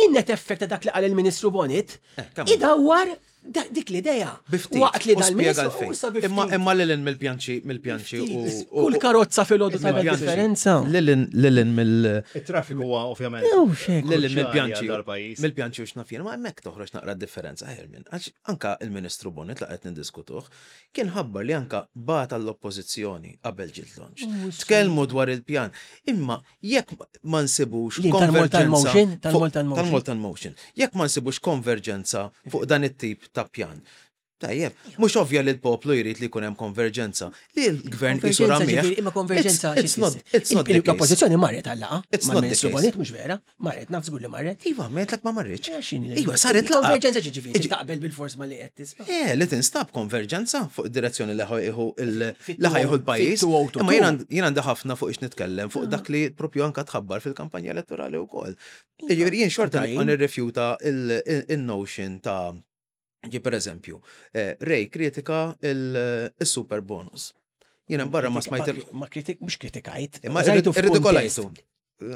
In-net effect ta' dak li qal il-Ministru Bonett Eh, come on. idawwar Da- Dik l-idea. Bi ftit. Waqt li U spjega dal-ministru għalfejn. u sa bi ftit. Imma imma lilin mill-pjanċi mill-pjanċi u u- Kull karozza fil-ħodu tagħmel mill-pjanċi. differenza. Lilin lilin mill Il-traffiku huwa ovvjament. Jew xek. Lilin kruċjali mill-pjanċi għal dal-pajjiż. mill-pjanċi u x'naf jien, ma hemmhekk toħroġ naqra differenza Hermin. Għax anka il-Ministru Bonett la qed niddiskutuh, kien ħabbar li anka bagħat għall-oppożizzjoni qabel ġiet launch. Tkellmu dwar il-pjan. Imma jekk ma nsibux Li, tal-Malta konverġenza Motion? fuq- Tal-Malta Motion. Tal-Malta Motion. Jekk ma nsibux konverġenza fuq dan it-tip ta' pjan. Tajjeb, mhux ovvja li l-poplu jrid li jkun hemm konverġenza. Li l-gvern qisu Konverġenza ramih. ġifieri, imma konverġenza It's not, it's not the case. L-oppożizzjoni marret għal-laqgħa. It's not the Mal-Ministru case. Bonett mhux vera, marret, naf żgur li marret. Iva, għedtlek ma marritx. X'inhi? Iva, saret laqgħa. Konverġenza ġifieri, Iġi- taqbel bil-fors ma li qed tisma'. Eh, li tinstab konverġenza fuq id-direzzjoni li ħa jieħu il- Fit- li ħa jieħu l-pajjiż. fit-two oh two. Imma jien għand- jien għandi ħafna fuq ix nitkellem fuq dak li propju anka tħabbar fil-kampanja elettorali wkoll. Jiġifieri jien xorta Tajjeb. nibqa' nirrifjuta il- il- il-notion ta' ġi per eżempju, eh, Ray kritika il-super bonus. Jiena barra ma smajt il- Ma kritik, mhux kritikajt. Imma Użajtu irridikolajtu. f'kuntest.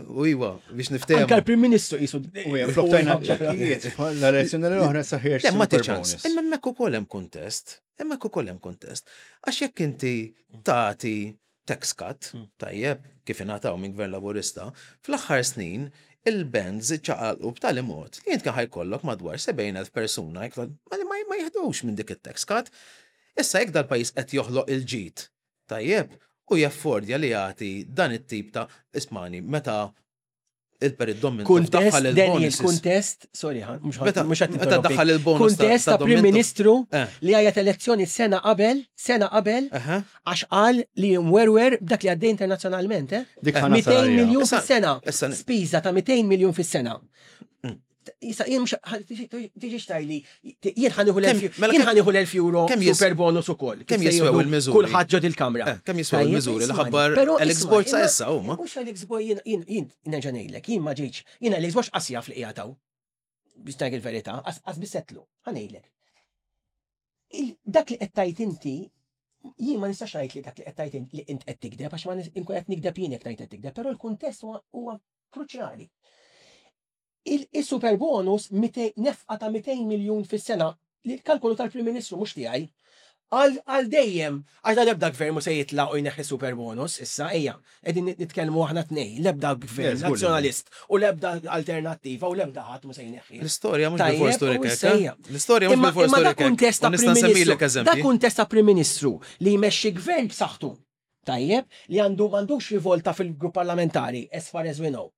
U iwa, biex niftehmu. Anka l-Prim Ministru qisu. U jem, floktajna ċekkijiet. L-elezzjoni l-oħra saħħiex. Le, ma super ċans. bonus. Imma hemmhekk ukoll hemm kuntest. Hemmhekk ukoll hemm kuntest. Għax jekk inti tagħti tax cut, tajjeb, kif ingħataw minn gvern laburista, fl-aħħar snin il-bands ċaqalqu b'tali mod li int kien ħa jkollok madwar sebgħin elf persuna jekk ma ma ma jiħdux minn dik it-tax cut. Issa jekk dal-pajjiż qed joħloq il-ġid, tajjeb, u jaffordja li jagħti dan it-tip ta' ismani meta il-perit Dom Kuntest, daħħal Daniel, il-bonuses. kuntest, sorry, ħan, mhux Meta- mhux qed meta ninterrompik. daħħal il-bonus ta- Kuntest ta' ta' Prim Dom Mintoff. Ministru Eh. li għajat elezzjoni sena qabel, sena qabel, Aha. għax qal li mwerwer b'dak li għaddej internazzjonalment, eh? Dik ħana mitejn salarja. miljun Issa- fis-sena. issa- Spiża ta' mitejn miljun fis-sena. Issa jien mhux tiġi xtajli, jien ħa nieħu Kemm- l-elf mela jien kemm- ħa nieħu l-elf euro kemm jis- super bonus ukoll. kemm Kif se jiswew jieħdu il-miżuri? Kulħadd ġod il-kamra. Eh, kemm jiswew Tajjeb, il-miżuri li ismani, ħabbar però Alex isma' Borg sa imma- issa huma? Mhux Alex Borg, jien jien jien nerġa' ngħidlek, jien ma ġejtx, jien Alex Borg qas jaf li qiegħed biex ngħid il-verità, qas bisetlu, ħa ngħidlek. Il- Dak li qed tgħid inti, jien ma nistax ngħid li dak li qed tgħid int- li int qed tikdeb għax ma nis- inkun qed nikdeb jien jekk ngħid qed tikdeb, però l-kuntest huwa huwa kruċjali. Il-super bonus mitej- nefqa ta' mitejn miljun fis-sena li l-kalkolu tal-Prim Ministru mhux tiegħi. Għal għal dejjem, għax da l-ebda gvern mhu se jitla' u jneħħi super bonus, issa ejja, qegħdin nitkellmu aħna tnej, l-ebda gvern Yes, żgur li nazzjonalist u l-ebda alternattiva u l-ebda ħadd mhu se jneħħi. L-istorja mhux Tajjeb, bil-fors u turik hekk. issa eh? hija. L-istorja mhux Imma bil-fors imma da turik hekk. kuntest U ta' nista' Prim nsemmilek Ministru, da eżempji. kuntest ta' Prim Ministru li jmexxi gvern b'saħħtu. Tajjeb, li għandu m'għandux rivolta fil-grupp parlamentari, as far as we know.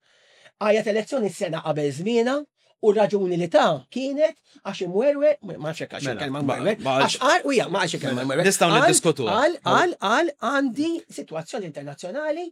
Għajat elezzjoni sena qabel żmiena u raġuni li ta' kienet għax imwerwer, ma nafx hekk għax Mela, kelma ma- mwerwer, ma- għax qal, u ja, ma għax kelma mwerwer. Nistgħu Qal- niddiskutuha. Qal, qal, qal, għandi situazzjoni internazzjonali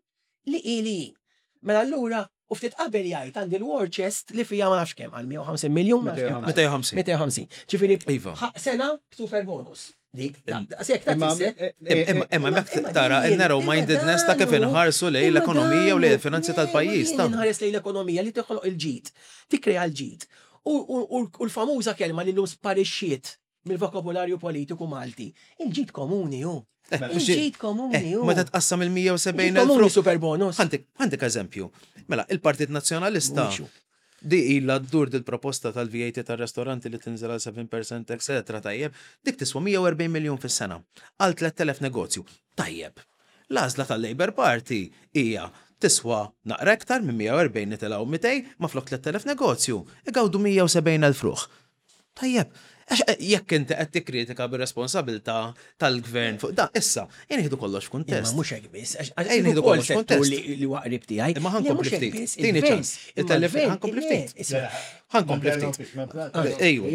li ili. Mela allura, u ftit qabel jgħid għandi l-war chest li fija ma nafx kemm, għal mija u ħamsin miljun, ma nafx kemm. mitejn u ħamsin. mitejn u ħamsin. Ġifieri, Iva. ħa- sena super bonus. Dik, da- sekk ta' Imma- tfisser. eh, eh, Imma imma Imma- hemmhekk imma tara din- il-narrow imma mindedness ta' kif danu- inħarsu lejn imma l-ekonomija u lejn danu- il-finanzi le, tal-pajjiż. ma ta' jien inħares lejn l-ekonomija li toħloq il-ġid, tikkrea l-ġid. U u- u u l-famuża kelma li llum sparixxiet mill-vokabularju politiku Malti. Il-ġid komuni hu. Il-ġid komuni Eh, hu. Meta tqassam il-mija u sebgħin Il-ġid komuni elf super bonus. Għandek għandek eżempju. Mela, il-Partit Nazzjonalista Mhuwiex hu. di illa ddur dil-proposta tal-V A T tal-restoranti li tinżel għal seba' fil-mija, et cetera. Tajjeb, dik tiswa mija u erbgħin miljon fis-sena għal tlett elef negozju. Tajjeb. L-għażla tal-Labour Party hija tiswa naqra iktar minn mija u erbgħin, nitilgħu mitejn, ma flok tlett elef negozju. Igawdu mija u sebgħin elf ruħ. Tajjeb, għax eh, jekk inti qed tikkritika bir-responsabilità tal-gvern fuq da, issa, jien nieħdu kollox Imma f'kuntest. mhux hekk biss, għax Ejja nieħdu ukoll kollox settur kuntest. li li huwa qrib tiegħi. Imma Le, ħa nkompli mhux hekk ftit. biss, Tini il-gvern- ċans. imma It-telef- l-gvern- ħa nkompli le, ftit. isma' Ħa nkompli ftit. Ejwa,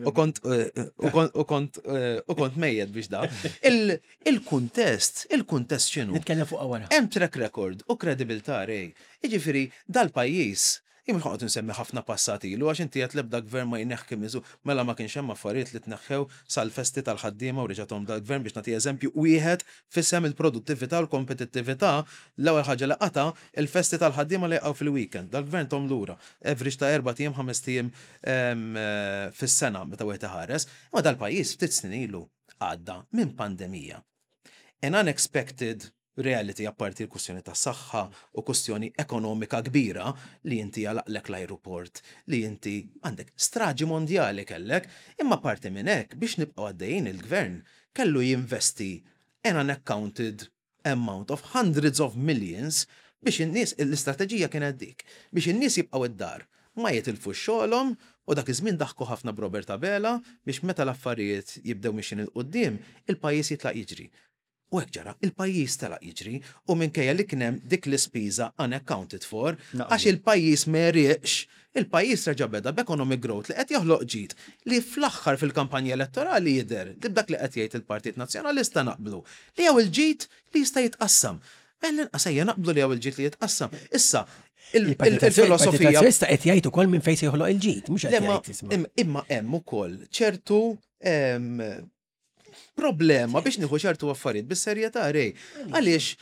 u kont u kont u kont u kont mejjed biex da. Il- Il-kuntest, il-kuntest x'inhu? Nitkellem fuq wara. Hemm track record u kredibilità, Ray. Jiġifieri dal-pajjiż jien mhux ħa noqgħod nsemmi ħafna passat ilu għax inti qed l-ebda gvern ma jneħħi miżu, mela ma kienx hemm affarijiet li tneħħew sal-festi tal-ħaddiema u reġathom dal-gvern, biex nagħti eżempju wieħed f'isem il-produttività u l-kompetittività, l-ewwel ħaġa li qata il-festi tal-ħaddiema li jaqgħu fil-weekend. Dal-gvern tahom lura. Average ta' erba' tiem, ħames tiem em, eh, fis-sena meta wieħed iħares. Imma dal-pajjiż ftit snin ilu għadda minn pandemija. An unexpected Reality, apparti l-kwestjoni ta' saħħa u kwestjoni ekonomika kbira li inti għalaqlek l-aeroport, li inti għandek straġi mondjali kellek, imma parti minn hekk, biex nibqgħu għaddejjin, il-gvern kellu jinvesti an unaccounted amount of hundreds of millions biex in-nies, l-istrateġija kienet dik, biex in-nies jibqgħu id-dar, ma jitilfu xogħolhom. U dak iż-żmien daħku ħafna b'Robert Abela biex meta l-affarijiet jibdew mixin 'il quddiem, il-pajjiż jitlaq jiġri. U hekk ġara, il-pajjiż telaq jiġri u minkejja li kien hemm dik l-ispiża unaccounted for, Naqblu. għax il-pajjiż ma riqx, il-pajjiż reġa' beda b'economic growth li qed joħloq ġid li fl-aħħar fil-kampanja elettorali jidher li b'dak li qed jgħid il-Partit Nazzjonalista naqblu li hawn il-ġid li jista' jitqassam. L-inqas ejja naqblu li hawn il-ġid li jitqassam. Issa, il- il- il-filosofija Nazzjonalista qed jgħid ukoll minn fejn se joħloq il-ġid, mhux Le, qed ma- jgħid, isma'. im- Imma hemm ukoll ċertu em, problema biex nieħu ċertu affarijiet bis-serjetà, Ray. Għaliex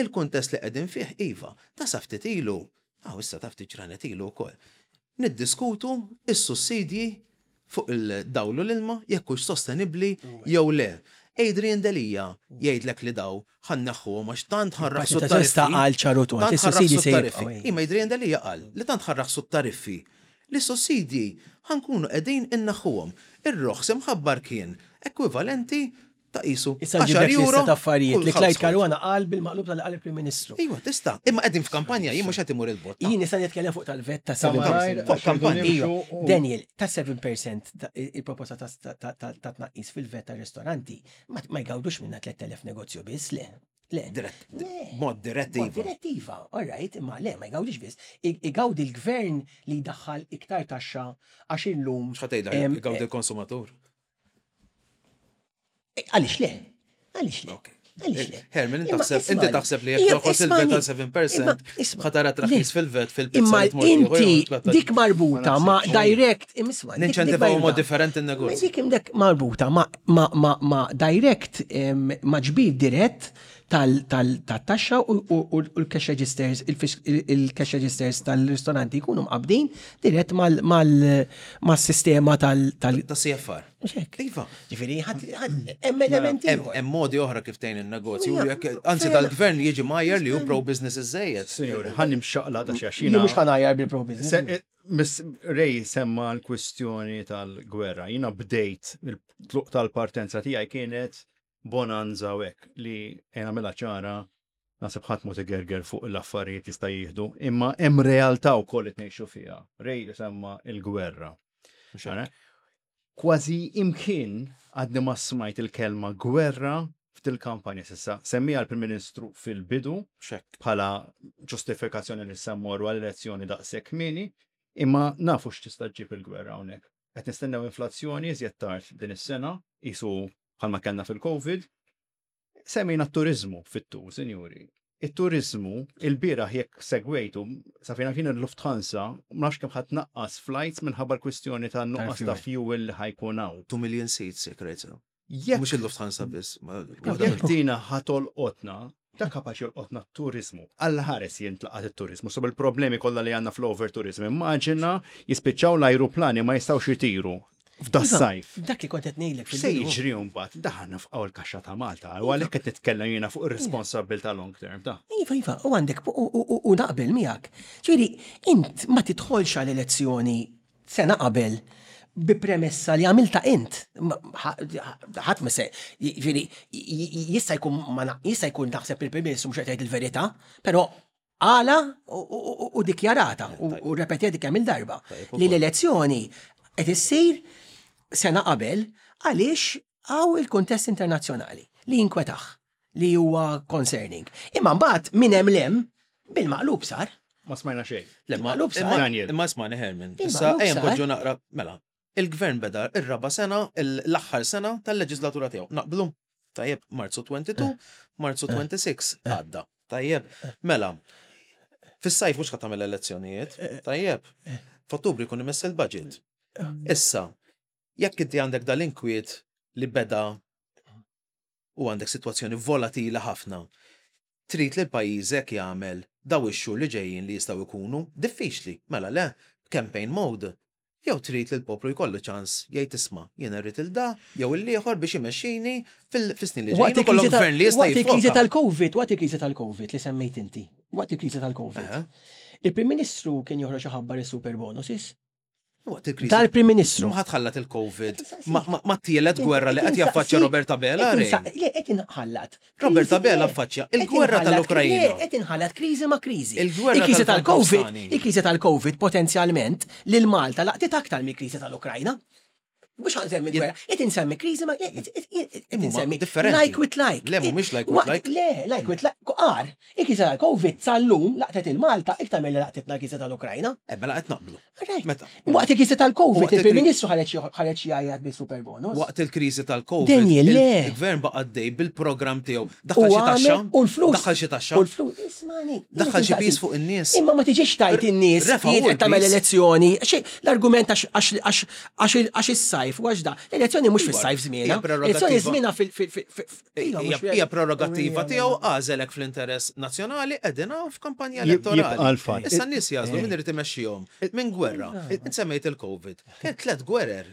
il-kuntest li qegħdin fih, iva, ta' sa ftit ilu, aw issa ta' ftit ġranet ilu wkoll, niddiskutu is-sussidji fuq il-dawl u l-ilma jekk hux sostenibbli jew le. Adrian Delia jgħidlek li daw ħa nneħħuhom għax tant ħa nraħħsu Partit Nazzjonalista tariffi. qal ċar u tond, Tant is-sussidji ħa nraħħsu se tariffi. jibqgħu. Imma Adrian Delia qal li tant ħa nraħħsu tariffi li sussidji ħa nkunu qegħdin inneħħuhom. Ir-roħs imħabbar kien ekwivalenti ta' qisu Issa għaxar ġiblek euro lista ta' affarijiet kull li Clyde household. Caruana qal bil-maqlub tal-qal il-Prim Ministru. Iva, tista'. Imma qegħdin f'kampanja, jien mhux qed imur il-bot. Jien nista' nitkellem fuq tal-VAT ta' Ta' malajr, seven percent. Fuq kampanja. Iva, u- Daniel, ta' seba' fil-mija ta' il-proposta ta' ta' ta' ta' tnaqqis fil-VAT ta' ristoranti ma ma jgawdux minna tlett elef negozju biss, le. Le. Dirett, Le. mod direttiva. Mod direttiva, all right, imma le, ma jgawdix biss. I- Igawdi l-gvern li jdaħħal iktar taxxa għax illum. X'ħa tgħidha em, jgawdi l-konsumatur? eh, Għaliex le? Għaliex le? Ok. Għaliex le? Herman, inti Imma taħseb inti ismani, taħseb li jekk ija, toħos il-VAT ismani, tal-seba' fil-mija imma isma' ħa tara traħħis le. fil-VAT fil-pizza Imma li tmur tieħu jew inti tlatta- dik marbuta ma' direct, isma', dik- dik Ninċentivaw mod marbuta. differenti n-negozju. Dik imdek marbuta ma' ma' ma' ma' direct em, ma' ġbir dirett tal-taxxa u u- u l-cash registers, il-cash registers tal-ristoranti jkunu mqabdin dirett mal-sistema tal- tal- Ta' C F R. Mhux hekk. Iva. Ġifieri, ħadd- ħadd- hemm elementi Hemm ieħor. hemm modi oħra kif tgħin in-negozju. Ija, Jekk- Anzi fair. dal-gvern jiġi majjer li hu pro-business iżejjed. Signori, ħa nimxaqla da Jien xaxina. mhux ħa ngħajjar bil-pro business. Se- eh, Miss Ray semma l-kwistjoni tal-gwerra. Jina bdejt il-tluq tal-partenza tiegħi kienet bonanza u hekk li jena mela ċara, naħseb ħadd mod igerger fuq l-affarijiet jista' jieħdu, imma hemm realtà wkoll li tgħixu fiha. Ray semma il-gwerra. Ċara? Kważi imkien għadni ma smajt il-kelma gwerra f'dil-kampanja s'issa. Semmija l-Prim Ministru fil-bidu Xek. bħala ġustifikazzjoni li semmorru għall-elezzjoni daqshekk kmieni, imma nafu x'tista' ġġib il-gwerra hawnhekk. Qed nistennew inflazzjoni iżjed tard din is-sena, qisu bħalma kellna fil-Covid. Semmejna t-turizmu fit-tu, sinjuri. Il-turizmu, il-bieraħ jekk segwejtu, sa fejna fin il-Lufthansa, ma nafx kemm ħadd naqqas flights minħabba l-kwistjoni ta' nuqqas ta' fuel li ħa jkun hawn. two million seats, jekk rejt sew. Jekk Mhux il-Lufthansa biss. ma- Jekk dina ħa tolqotna, dak kapaċi jolqotna t-turizmu. Alla ħares jintlaqat it-turizmu. So bil-problemi kollha li għandna fl-overtourism. Immaġina jispiċċaw l-ajruplani ma jistgħux jitiru f'da Iva, sajf. Dak li kont qed ngħidlek Se fil-bidu. jiġri mbagħad daħna f'qaw il-kaxxa ta' Malta. U għalhekk qed nitkellem jiena fuq ir-responsabilità long term ta' Iva, iva, u għandek, u- u u- u naqbel miegħek. Ġifieri, int ma tidħolx għal elezzjoni sena qabel bi premessa li għamilta int. Ma- ħa- Ħadd ma se, ġifieri, jista' jkun ma na- jista' jkun naħseb il-Prim Ministru mhux qed jgħid il-verità, però għala u- u u dikjarata u u repetiet kemm il-darba li l-elezzjoni qed issir sena qabel għaliex hawn il-kuntest internazzjonali li jinkwetaħ, li huwa concerning. Imma mbagħad minn hemm lem bil-maqlub sar. Ma smajna xejn. Le, ma- Maqlub sar. imma- Daniel. Imma ismani, Herman. Il-maqlub Issa ejja sar. npoġġu naqra, mela. Il-gvern beda ir-raba sena, l-aħħar sena tal-leġislatura tiegħu. Naqblu. Tajjeb, Marzu tnejn u għoxrin, Marzu sitta u għoxrin għadda. Tajjeb, mela. Fis-sajf mhux ħa tagħmel elezzjonijiet. Tajjeb. F'Ottubru jkun imess il-budget. Issa, jekk inti għandek dal-inkwiet li beda u għandek sitwazzjoni volatila ħafna, trid li l-pajjiżek jagħmel daw ix-xhur li ġejjin li jistgħu jkunu diffiċli. Mela le, campaign mode. Jew trid li l-poplu jkollu ċans jgħid, "Isma', jiena rrid il da jew il-ieħor biex imexxini fil-snin li Waqt ġejjin." Ikollok il-kriżi ta' gvern li jista' waqt il-kriżi jiffoka. tal-Covid, waqt il-kriżi tal-Covid li semmejt inti, waqt il-kriżi tal-Covid. Aha. Il-Prim Ministru kien joħroġ iħabbar is-super bonuses. Waqt il-kriżi. Dal-Prim Ministru. Ma ħatħallat il-Covid ma- ma ma tielet gwerra li qed jaffaċċja Robert Abela. Ray. Le, qed inħallat. Robert Kriżi- Abela le, affaċċja qed il-gwerra inħallat- tal-Ukrajina. Le, qed inħallat kriżi ma' kriżi. Il-gwerra Il-kriżi tal-Covid, tal-Afganistan. il-kriżi tal-Covid potenzjalment lil Malta laqtit aktar mill-kriżi tal-Ukrajna. Mhux ħa nsemmi gwerra, qed insemmi kriżi ma' qed Imma insemmi differenti. like with like. Le, mhumiex like with Waqt- like. Le, like with like. Qar, il-kriżi tal-Covid sal-lum laqtet il-Malta iktar milli laqtitna l-kriżi tal-Ukrajna. Eh, mela qed naqblu. Right. Meta? Waqt il-kriżi tal-Covid, Waqt il-Prim il-kri- Ministru ħareġ ħareġ jgħajjat bil-super bonus. Waqt il-kriżi tal-Covid, Daniel, il- le. il-gvern baqa' għaddej bil-programm tiegħu. U Daħħal xi taxxa, għamel- u l-flus. daħħal xi taxxa, U l-flus, ismani. Daħħal xi piż fuq in-nies. Imma ma tiġix tajt in-nies Refa' hu jien qed tagħmel l-piż. elezzjoni. Xi l-argument għax għax għax għax għax is-sajf u għax da. L-elezzjoni mhux fis-sajf żmiena. Hija prerogattiva. Elezzjoni żmiena fil fil fil iva, Hija mhux hija prerogattiva tiegħu, għażelek fl-interess nazzjonali, qegħdin hawn f'kampanja Jib- elettorali. Jibqa' l-fatt. Issa n-nies jagħżlu min irid imexxihom. Minn gwerra. Int semmejt il-Covid. Kien tliet gwerer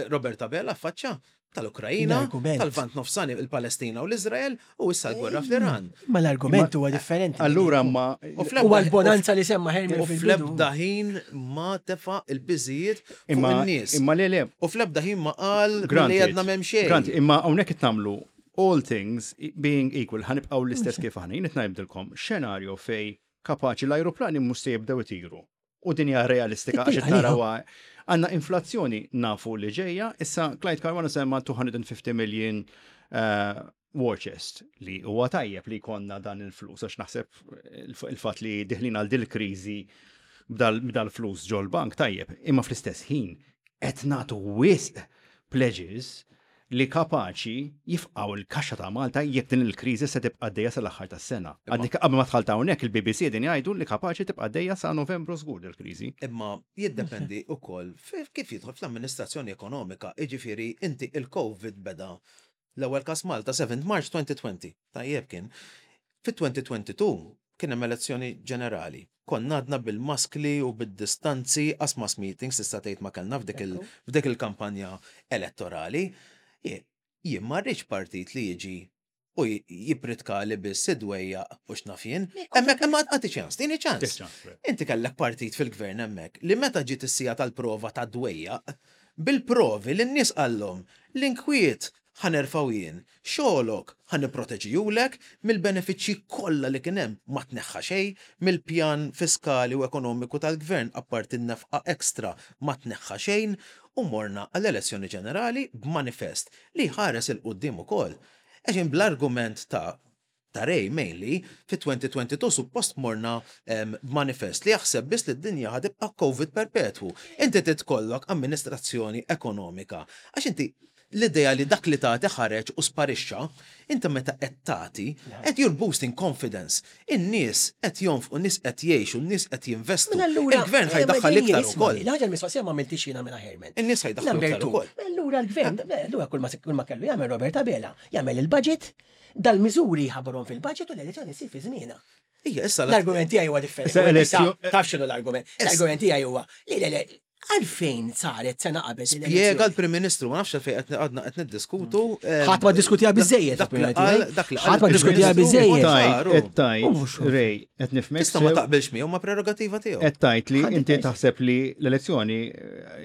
Robert Abela affaċċa: tal-Ukrajina, L-argument. tal-Lvant Nofsani, il-Palestina u l-Izrael, u issa l-gwerra fl-Iran. Ma l-argument huwa differenti. Allura ma U fl-ebda- Huwa l-bonanza li semma Herman U fil-bidu. fl-ebda ħin ma tefa il-piżijiet fuq imma in-nies. imma le le U fl-ebda ħin ma qal li Granted. għadna m'hemm xejn. Granted, imma hawnhekk qed nagħmlu all things being equal, ħa nibqgħu l-istess kif aħna. Jien qed ngħidilkom xenarju fej kapaċi l-ajruplani mhux se jibdew itiru. U din hija realistika għax qed narawha, għandna inflazzjoni nafu li ġejja, issa Clyde Caruana semma two hundred fifty million uh, war chest, li huwa tajjeb li jkollna dan il-flus, għax naħseb il-fatt li diħlin għal dil kriżi b'dal flus ġol-bank tajjeb, imma fl-istess ħin qed nagħtu wisq pledges li kapaċi jifqaw il-kaxxa ta' Malta jekk din il-kriżi se tibqa' għaddejja sal-aħħar tas-sena. Għadni qabel ma dħalt hawnhekk, il-B B C din jgħidu li kapaċi tibqa' għaddejja sa Novembru żgur il-kriżi. Imma jiddependi ukoll kif jidħol fl-amministrazzjoni ekonomika. Iġifieri inti il-Covid beda l-ewwel kas Malta seventh March twenty twenty. Tajjeb kien. Fit-twenty twenty-two kien hemm elezzjoni ġenerali. Konna għadna bil-maskli u bil-distanzi, as mass meetings tista' tgħid ma kellna f'dik il- f'dik il-kampanja elettorali. Jien ma rridx partit li jiġi u jippritka li biss id-dwejjaq u x'naf jien. Hemmhekk imma għati ċans, tini ċans. Inti kellek partit fil-gvern hemmhekk li meta ġiet is-siegħa tal-prova ta' dwejjaq, bil-provi li n-nies qallhom, "L-inkwiet ħa nerfgħu jien, xogħlok ħa nipproteġijulek," mill-benefiċċji kollha li kien hemm ma tneħħa xejn, mill-pjan fiskali u ekonomiku tal-gvern apparti n-nefqa ekstra ma tneħħa xejn, u morna għall-elezzjoni ġenerali b'manifest li ħares 'il quddiem ukoll. Eġin bl-argument ta' ta' Ray mainly, fi twenty twenty-two suppost morna manifest li jaħseb biss li d-dinja ħa tibqa' Covid perpetwu. Inti titkollok amministrazzjoni ekonomika. Għax inti l-idea li dak li tagħti ħareġ u sparixxa, inti meta qed tagħti, qed you're boosting confidence. In-nies qed jonfqu, n-nies qed jgħixu, n-nies qed jinvestu. Mela allura- Il-gvern ħa jdaħħal iktar ukoll. L-ħaġa l-mistoqsija ma għamiltix jiena mela, Herman. In-nies ħa jdaħħlu Number iktar two. ukoll. Allura l-gvern, allura kull ma kull ma kellu jagħmel Robert Abela, jagħmel il-budget, dal-miżuri ħabarhom fil-budget u l-elezzjoni ssir fi żmienha. Ija, issa la- L-argument tiegħi huwa differenti. Issa elezzjo- Taf x'inhu l-argument? L-argument tiegħi huwa li le le għalfejn saret sena qabel Spjega l-elezzjoni? l-Prim Ministru, ma nafx għalfejn qed għadna qed niddiskutu. eh, Ħadd ma ddiskutiha biżejjed, Dak li l-opinjoni qal, tiegħi. dak li Ħadd ma ddiskutiha biżejjed. Tajt, qed tajt, Mhux. Ray, qed nifhmek. Tista' ma sew, taqbilx miegħu, ma prerogativa tiegħu. Qed tajt li Ħadd inti id- taħseb li l-elezzjoni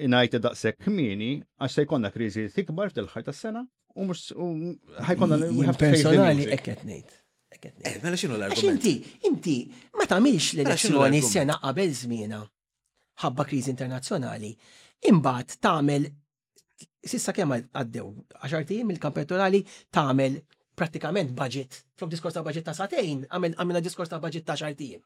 ngħid daqshekk kmieni għax se jkollna kriżi tikbar fil-aħħar tas-sena u mhux u ħa jkollna we Jien have to face the personali music. hekk qed ngħid. Hekk qed ngħid. Eh, mela x'inhu Għax l-argument? inti, inti ma tagħmilx x'inhu l-elezzjoni l-argument? sena qabel żmienha ħabba kriżi internazzjonali, imbagħad tagħmel sissa kemm għaddew għaxart ijiem il-kamp elettorali, tagħmel prattikament budget, flok diskors ta' budget ta' sagħtejn, għamel għamilna diskors ta' budget ta' għaxart ijiem.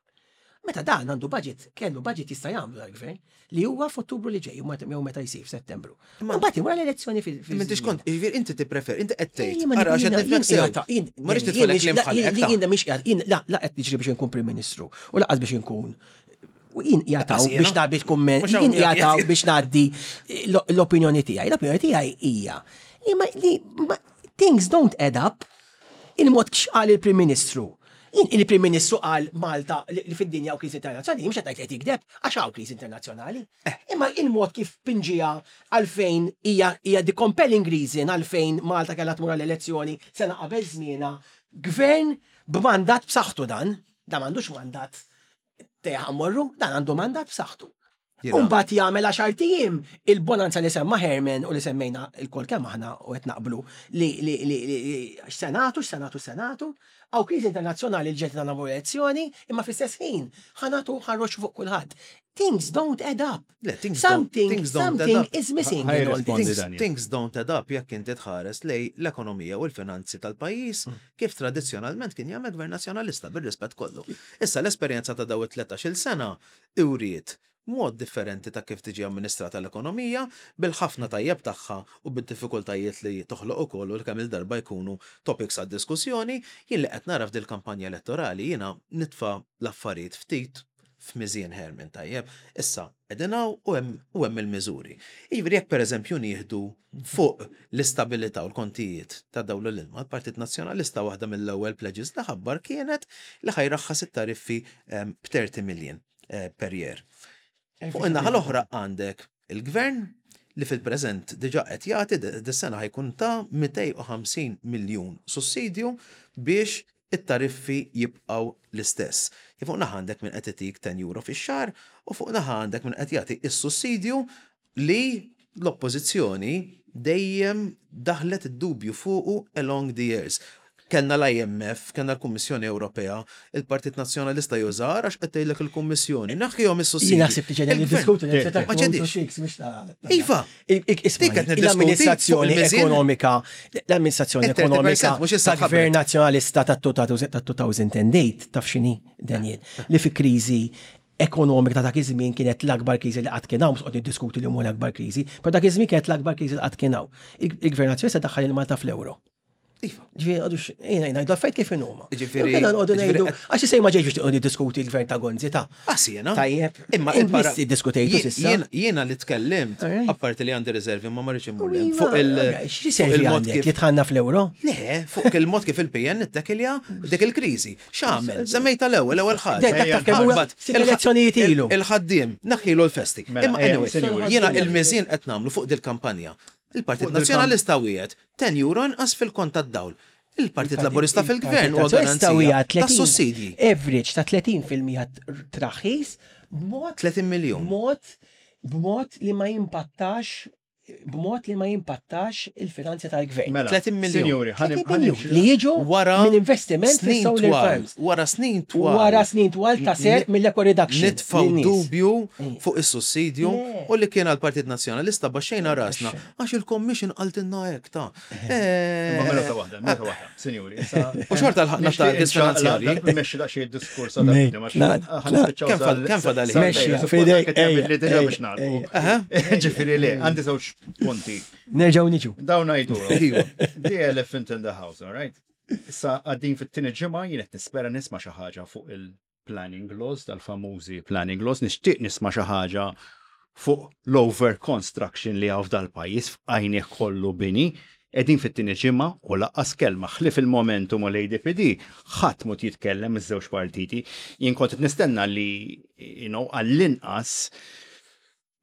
Meta dan għandu budget, kellu budget jista' jagħmlu dal-gvern li huwa f'Ottubru li ġej, jew meta jsir f'Settembru. Imbagħad wara l-elezzjoni fil M'intix kont, jiġifieri inti tipprefer, inti qed tgħid. Ejja, ma Ara, għax qed jiena- nifhmek jien- sew. jien- Ma rridx jien- nidħolek jien- kliem bħal hekk ta'. Jien mhix qiegħed, jien la la qed niġri biex inkun Prim Ministru u lanqas biex inkun u jien jataw Lanqas jiena. biex nagħti kumment, Mhux hawn jien qiegħed. jataw biex ngħaddi l-opinjoni tiegħi. L-opinjoni tiegħi hija li ma- li ma- things don't add up il-mod x'qal il-Prim Ministru. Jien il-Prim Ministru qal Malta li li fid-dinja u kriżi internazzjonali, mhux qed ngħid li qed jikdeb għax hawn kriżi internazzjonali. Imma il-mod kif pinġija għalfejn hija hija the compelling reason għalfejn Malta kellha tmur għall-elezzjoni sena qabel żmienha, gvern b'mandat b'saħħtu dan, dan m'għandux mandat teħ morru, dan għandu mandat b'saħħtu. Jiena- Umbagħad jagħmel għaxar ijiem il-bonanza li semma Herman u li semmejna il-kol kemm aħna u qed naqblu li li li li li senatu, senatu, senatu, hawn kriżi internazzjonali li ġiet nagħmlu elezzjoni, imma fl-istess ħin ħa nagħtu ħarroġ fuq kulħadd. Things don't add up. Le, things don't- Something, things don't add something up. is missing Ħaj in all rispondi, this. Things, Daniel. things don't add up jekk inti tħares lej l-ekonomija u l-finanzi tal-pajjiż kif tradizzjonalment kien jagħmel gvern nazzjonalista bir-rispett kollu. Issa l-esperjenza ta' daw it-tlettax-il sena uriet mod differenti ta' kif tiġi amministrata l-ekonomija bil-ħafna tajjeb tagħha u bid-diffikultajiet li toħloq ukoll u li kemm il-darba jkunu topics għad diskussjoni, jien li qed nara f'dil kampanja elettorali jiena nitfa' l-affarijiet ftit f'miżien Herman tajjeb. Issa, qegħdin hawn u hemm u hemm il-miżuri. Jiġifieri jekk pereżempju nieħdu fuq l-istabilità u l-kontijiet ta' dawl l-ilma, l-Partit Nazzjonalista waħda mill-ewwel pledges li ħabbar kienet li ħa jraħħas it-tariffi em, b'thirty million eh, per year. Fuq in-naħa l-oħra għandek il-gvern li fil-preżent diġà qed jagħti dis-sena ħa jkun ta' mitejn u ħamsin miljun sussidju biex it-tariffi jibqgħu l-istess. Fuq naħa għandek minn qed itik ten euro fix-xahar u fuq naħa għandek minn qed jagħti is-sussidju li l-oppożizzjoni dejjem daħlet id-dubju fuqu along the years. Kellna l-I M F, kellna l-Kummissjoni Ewropea, il-Partit Nazzjonalista jużar għax qed tgħidlek il-Kummissjoni, naħħihom is-sussidji. Jien naħseb li ġedin Il-gvern- niddiskutu Ma ġedix. Iva, Isma' Dik qed niddiskuti l-amministrazzjoni fuq il-miżien. ekonomika, l-amministrazzjoni Il-thirty percent ekonomika mhux issa ta' gvern nazzjonalista ta' two thousand eight taf x'inhi, Daniel, li fi kriżi ekonomika ta' dak iż-żmien kienet l-akbar kriżi li qatt kien hawn, mhux qed niddiskuti li huma l-akbar kriżi, però dak iż-żmien kienet l-akbar kriżi li qatt kien hawn. Il-gvern nazzjonalista daħħal il-Malta fl-euro. Iva. Ġifieri, għadu ejna, ngħidu affarijiet kif inhuma. Ġifieri- Kena nqogħdu ġifieri ngħidu, qed- għax sej ma ġejx biex tiqgħod diskuti l-gvern ta' Gonzi ta' Ah, jiena. Tajjeb. Imma Int il-para- biss iddiskutejtu Jien- s'issa. jien- Jiena li tkellimt, Alright. apparti li għandi riservi ma marriċ immur Iva, fuq il- alright, xi fuq servi il-mod għandek kif li tħanna fl-euro? Le, fuq il-mod kif il-P N ittekilja dik il-kriżi. X'għamel? Semmejta l-ewwel, l-ewwel ħaġa. Dak dak kemm huwa Ħarbat. sitt elezzjonijiet Il- ilu. Il-ħaddiem, naħħilu l-festi. Mela, Imma ejja, anyway, sinjuri. jiena il-miżien qed nagħmlu fuq dil-kampanja. Il-Partit Fuq dil-kamp- Nazzjonalista wiegħed ten euro inqas fil-kont tad-dawl. Il-Partit Laburista fil-gvern huwa garanzija ta' sussidji. Average ta' tletin fil-mija traħħis b'mod tletin miljun. b'mod b'mod li ma jimpattax b'mod li ma jimpattax il-finanzi tal-gvern. Mela, tletin miljun. Sinjuri, ħanim tletin miljun li jiġu Wara minn investiment snin fis-solar twal, farms. wara snin twal. Wara snin twal ta' ser mill-eco reduction. Nitfaw lin-nies. dubju fuq is-sussidju Le. u li kien għal-Partit Nazzjonalista baxxejna rasna għax il-Commission qaltilna hekk ta' Ma mela ta' Eh, waħda, mela ta' waħda, sinjuri. issa- U xorta l-ħakna Nixtieq targets inċaqla- finanzjarji. Mmexxi daqsxejn id-diskors Mej, għal na- na- Kemm fad- kemm fadal ħin? Mexxi, fidejk, ejja, Li diġà biex ejja, nagħlqu. Ġifieri le, għandi żewġ punti. Nerġgħu niġu. Dawn ngħidu. Iva. The elephant in the house, all right? Issa għaddin fit-tieni ġimgħa jien qed nispera nisma' xi ħaġa fuq il-planning laws, dal-famużi planning laws, nixtieq nisma' xi ħaġa fuq l-over construction li hawn f'dal-pajjiż f'għajni kollu bini. Qegħdin fit-tieni ġimgħa u lanqas kelma ħlief il-Momentum u l-A D P D ħadd mhu jitkellem iż-żewġ partiti. Jien kont qed nistenna li you know, għall-inqas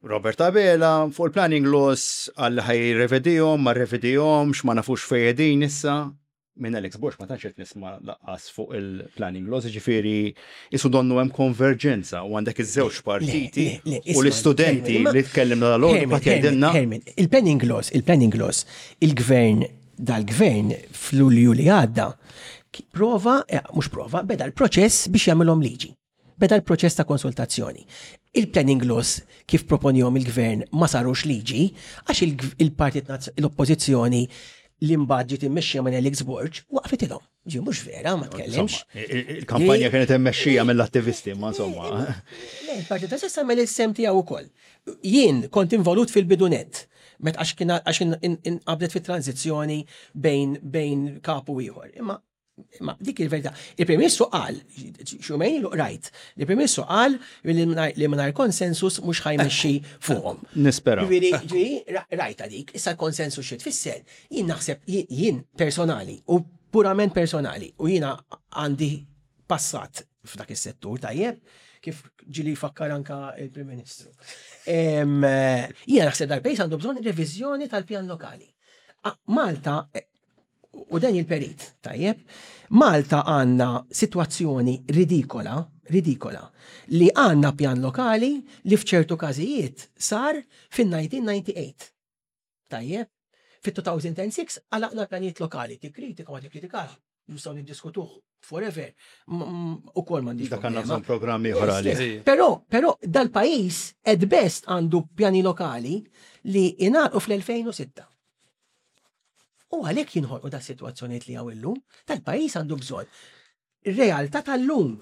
Robert Abela fuq il-planning laws għal ħa jirrevedihom, ma rrevedihomx, ma nafux fejedin issa. Minn Alex Borg ma tantx qed nisma' lanqas fuq il-planning laws, ġifieri isu donnu hemm konverġenza u għandek iż-żewġ partiti le, le, u isma' l-istudenti Herman, li tkellimna dal-għodu Herman, qed jgħidilna Herman, il-planning laws, il-planning laws, il-gvern, dal-gvern fl-Lulju li għadda, ki- prova, eh, mhux prova, beda l-proċess biex jagħmilhom liġi. Beda l-proċess ta' konsultazzjoni. Il-planning laws kif proponihom il-gvern ma sarux liġi għax il- il-partit Nazz- l-oppożizzjoni li mbagħad ġiet immexxija minn Alex Borg waqfitilhom. Ġi mhux vera, ma tkellimx. Insomma, il- il-kampanja kienet immexxija mill-attivisti, ma insomma. Le, il-Partit Nazzjonalista għamel is-sehem tiegħu ukoll. Jien kont involut fil-bidunet. Met għax kien għax in- in- inqabdet fit-tranzizzjoni bejn bejn kapu ieħor. Imma imma dik il-verità. Il-Prim Ministru qal, xumejn ilu rajt, il-Prim Ministru qal li mingħajr- li mingħajr konsensus mhux ħa jmexxi fuqhom. Nisperaw. Ġifieri, ġifieri, ra- rajta dik, issa l-konsensus xi tfisser. Jien naħseb, jien- jien personali u purament personali u jiena għandi passat f'dak is-settur, tajjeb, kif ġieli fakkar anka il-Prim Ministru. Em, eh, Jiena naħseb dal-pajjiż għandu bżonn reviżjoni tal-pjan lokali. Ah, Malta, eh, u dan il-perit, tajjeb, Malta għandna situazzjoni ridikola, ridikola, li għandna pjan lokali li f'ċertu każijiet sar fin-elf disa' mija u disgħa u disgħin. Tajjeb, fit-elfejn u sitta għalaqna pjanijiet lokali, tikkritika ma tikkritikax, nistgħu niddiskutuh forever, u kol m'għandix Dak għandna problema. bżonn programm ieħor għalih. Yes, Però, però dal-pajjiż at best għandu pjani lokali li ingħalqu fl-elfejn u sitta. U għalhekk jinħolqu da situazzjonijiet li hawn illum, tal-pajjiż għandu bżonn. Ir-realtà tal-lum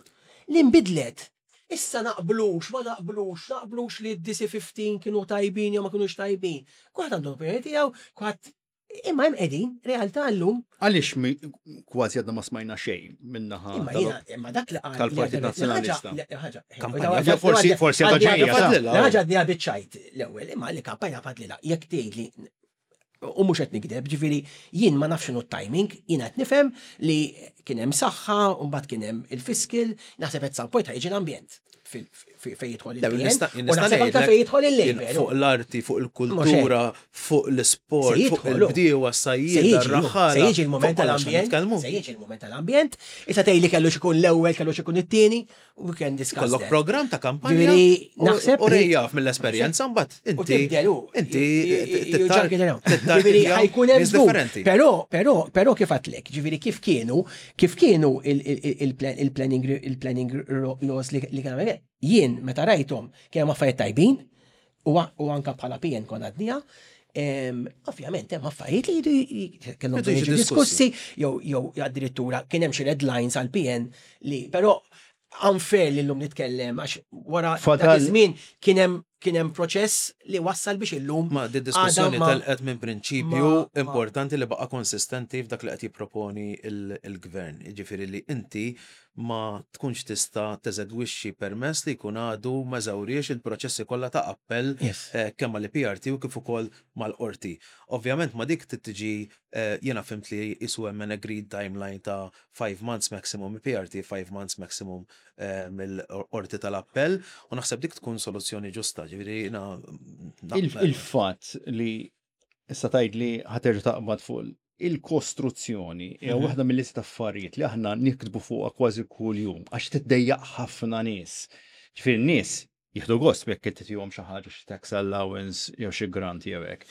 li nbidlet. Issa naqblux, ma naqblux, naqblux li d-D C ħmistax kienu tajbin jew ma kienux tajbin. Kulħadd għandu l-opinjoni tiegħu, kulħadd, imma hemm qegħdin realtà llum. Għaliex mi- kważi għadna ma smajna xejn minnaħa Imma jiena, imma dak li qal tal-Partit Nazzjonalista. Kampanja. Ja, forsi- forsi għadha ġejja, ta' Ħaġa għadni biċ-ċajt l-ewwel, imma li kampanja fadlilha, jekk tgħidli u mhux qed nikdeb, ġifieri jien ma nafx x'inhu t-timing, jien qed nifhem li kien hemm saħħa, u mbagħad kien hemm il-fiscal, naħseb at some point ħa jiġi l-ambjent fil- fi- fejn jidħol Le, il-P N, nista- u nista' naħseb anke ngħidlek, fejn jidħol jien il-Labour. Fuq l-arti, fuq il-kultura, fuq l-sport, Se fuq jidħolu. il-bdiewa, Se s-sajjieda, jiġi, r-raħħala. se jiġi il-moment fuq kollox tal-ambjent, nitkellmu. se jiġi il-moment tal-ambjent, issa tgħidli kellu xikun l-ewwel, kellu xikun it-tieni, we can discuss Kollok that. program ta' kampanja. Ġifieri, u- naħseb U li- rejjaf mill-esperjenza mbagħad U inti. tibdel u. Inti Ġifieri ħa jkun hemm nies żgur. differenti. Però, però, però kif għedtlek, ġifieri kif kienu, kif kienu il- il- il- il-planning il-planning laws li li kienu għamel, jien meta rajthom kienu affarijiet tajbin, u u anka bħala P N konna għadnija, em, ovvjament hemm affarijiet li jridu kellhom Jridu jiġu jiġu diskussi, jew jew addirittura kien hemm xi red lines għal P N li, però unfair li llum nitkellem għax wara dak Fadal- iż-żmien kien hemm kien hemm proċess li wassal biex illum Ma di diskussjoni għadha ma- telqet minn prinċipju ma- ma- importanti li baqa konsistenti f'dak li qed jipproponi il- il-gvern. Jiġifieri li inti ma tkunx tista' teżegwixxi permess li jkun għadu ma żawriex il-proċessi kollha ta' appell Yes. eh, kemm mal-E P R T u kif ukoll mal-qorti. Ovvjament ma dik tiġi, eh, jiena fhimt li jisu hemm an agreed timeline ta' five months maximum E P R T, five months maximum eh, mill-qorti tal-appell, u naħseb dik tkun soluzzjoni ġusta, ġifieri jiena Il- naqbel. Il-fatt li issa tgħid li ħa terġa' taqbad fuq il-kostruzzjoni hija Mhm. waħda mill-lista affarijiet li aħna nikdbu fuqha kważi kuljum għax tiddejjaq ħafna nies. Ġifieri n-nies jieħdu gost jekk titihom xi ħaġa, xi tax allowance jew xi grant jew hekk.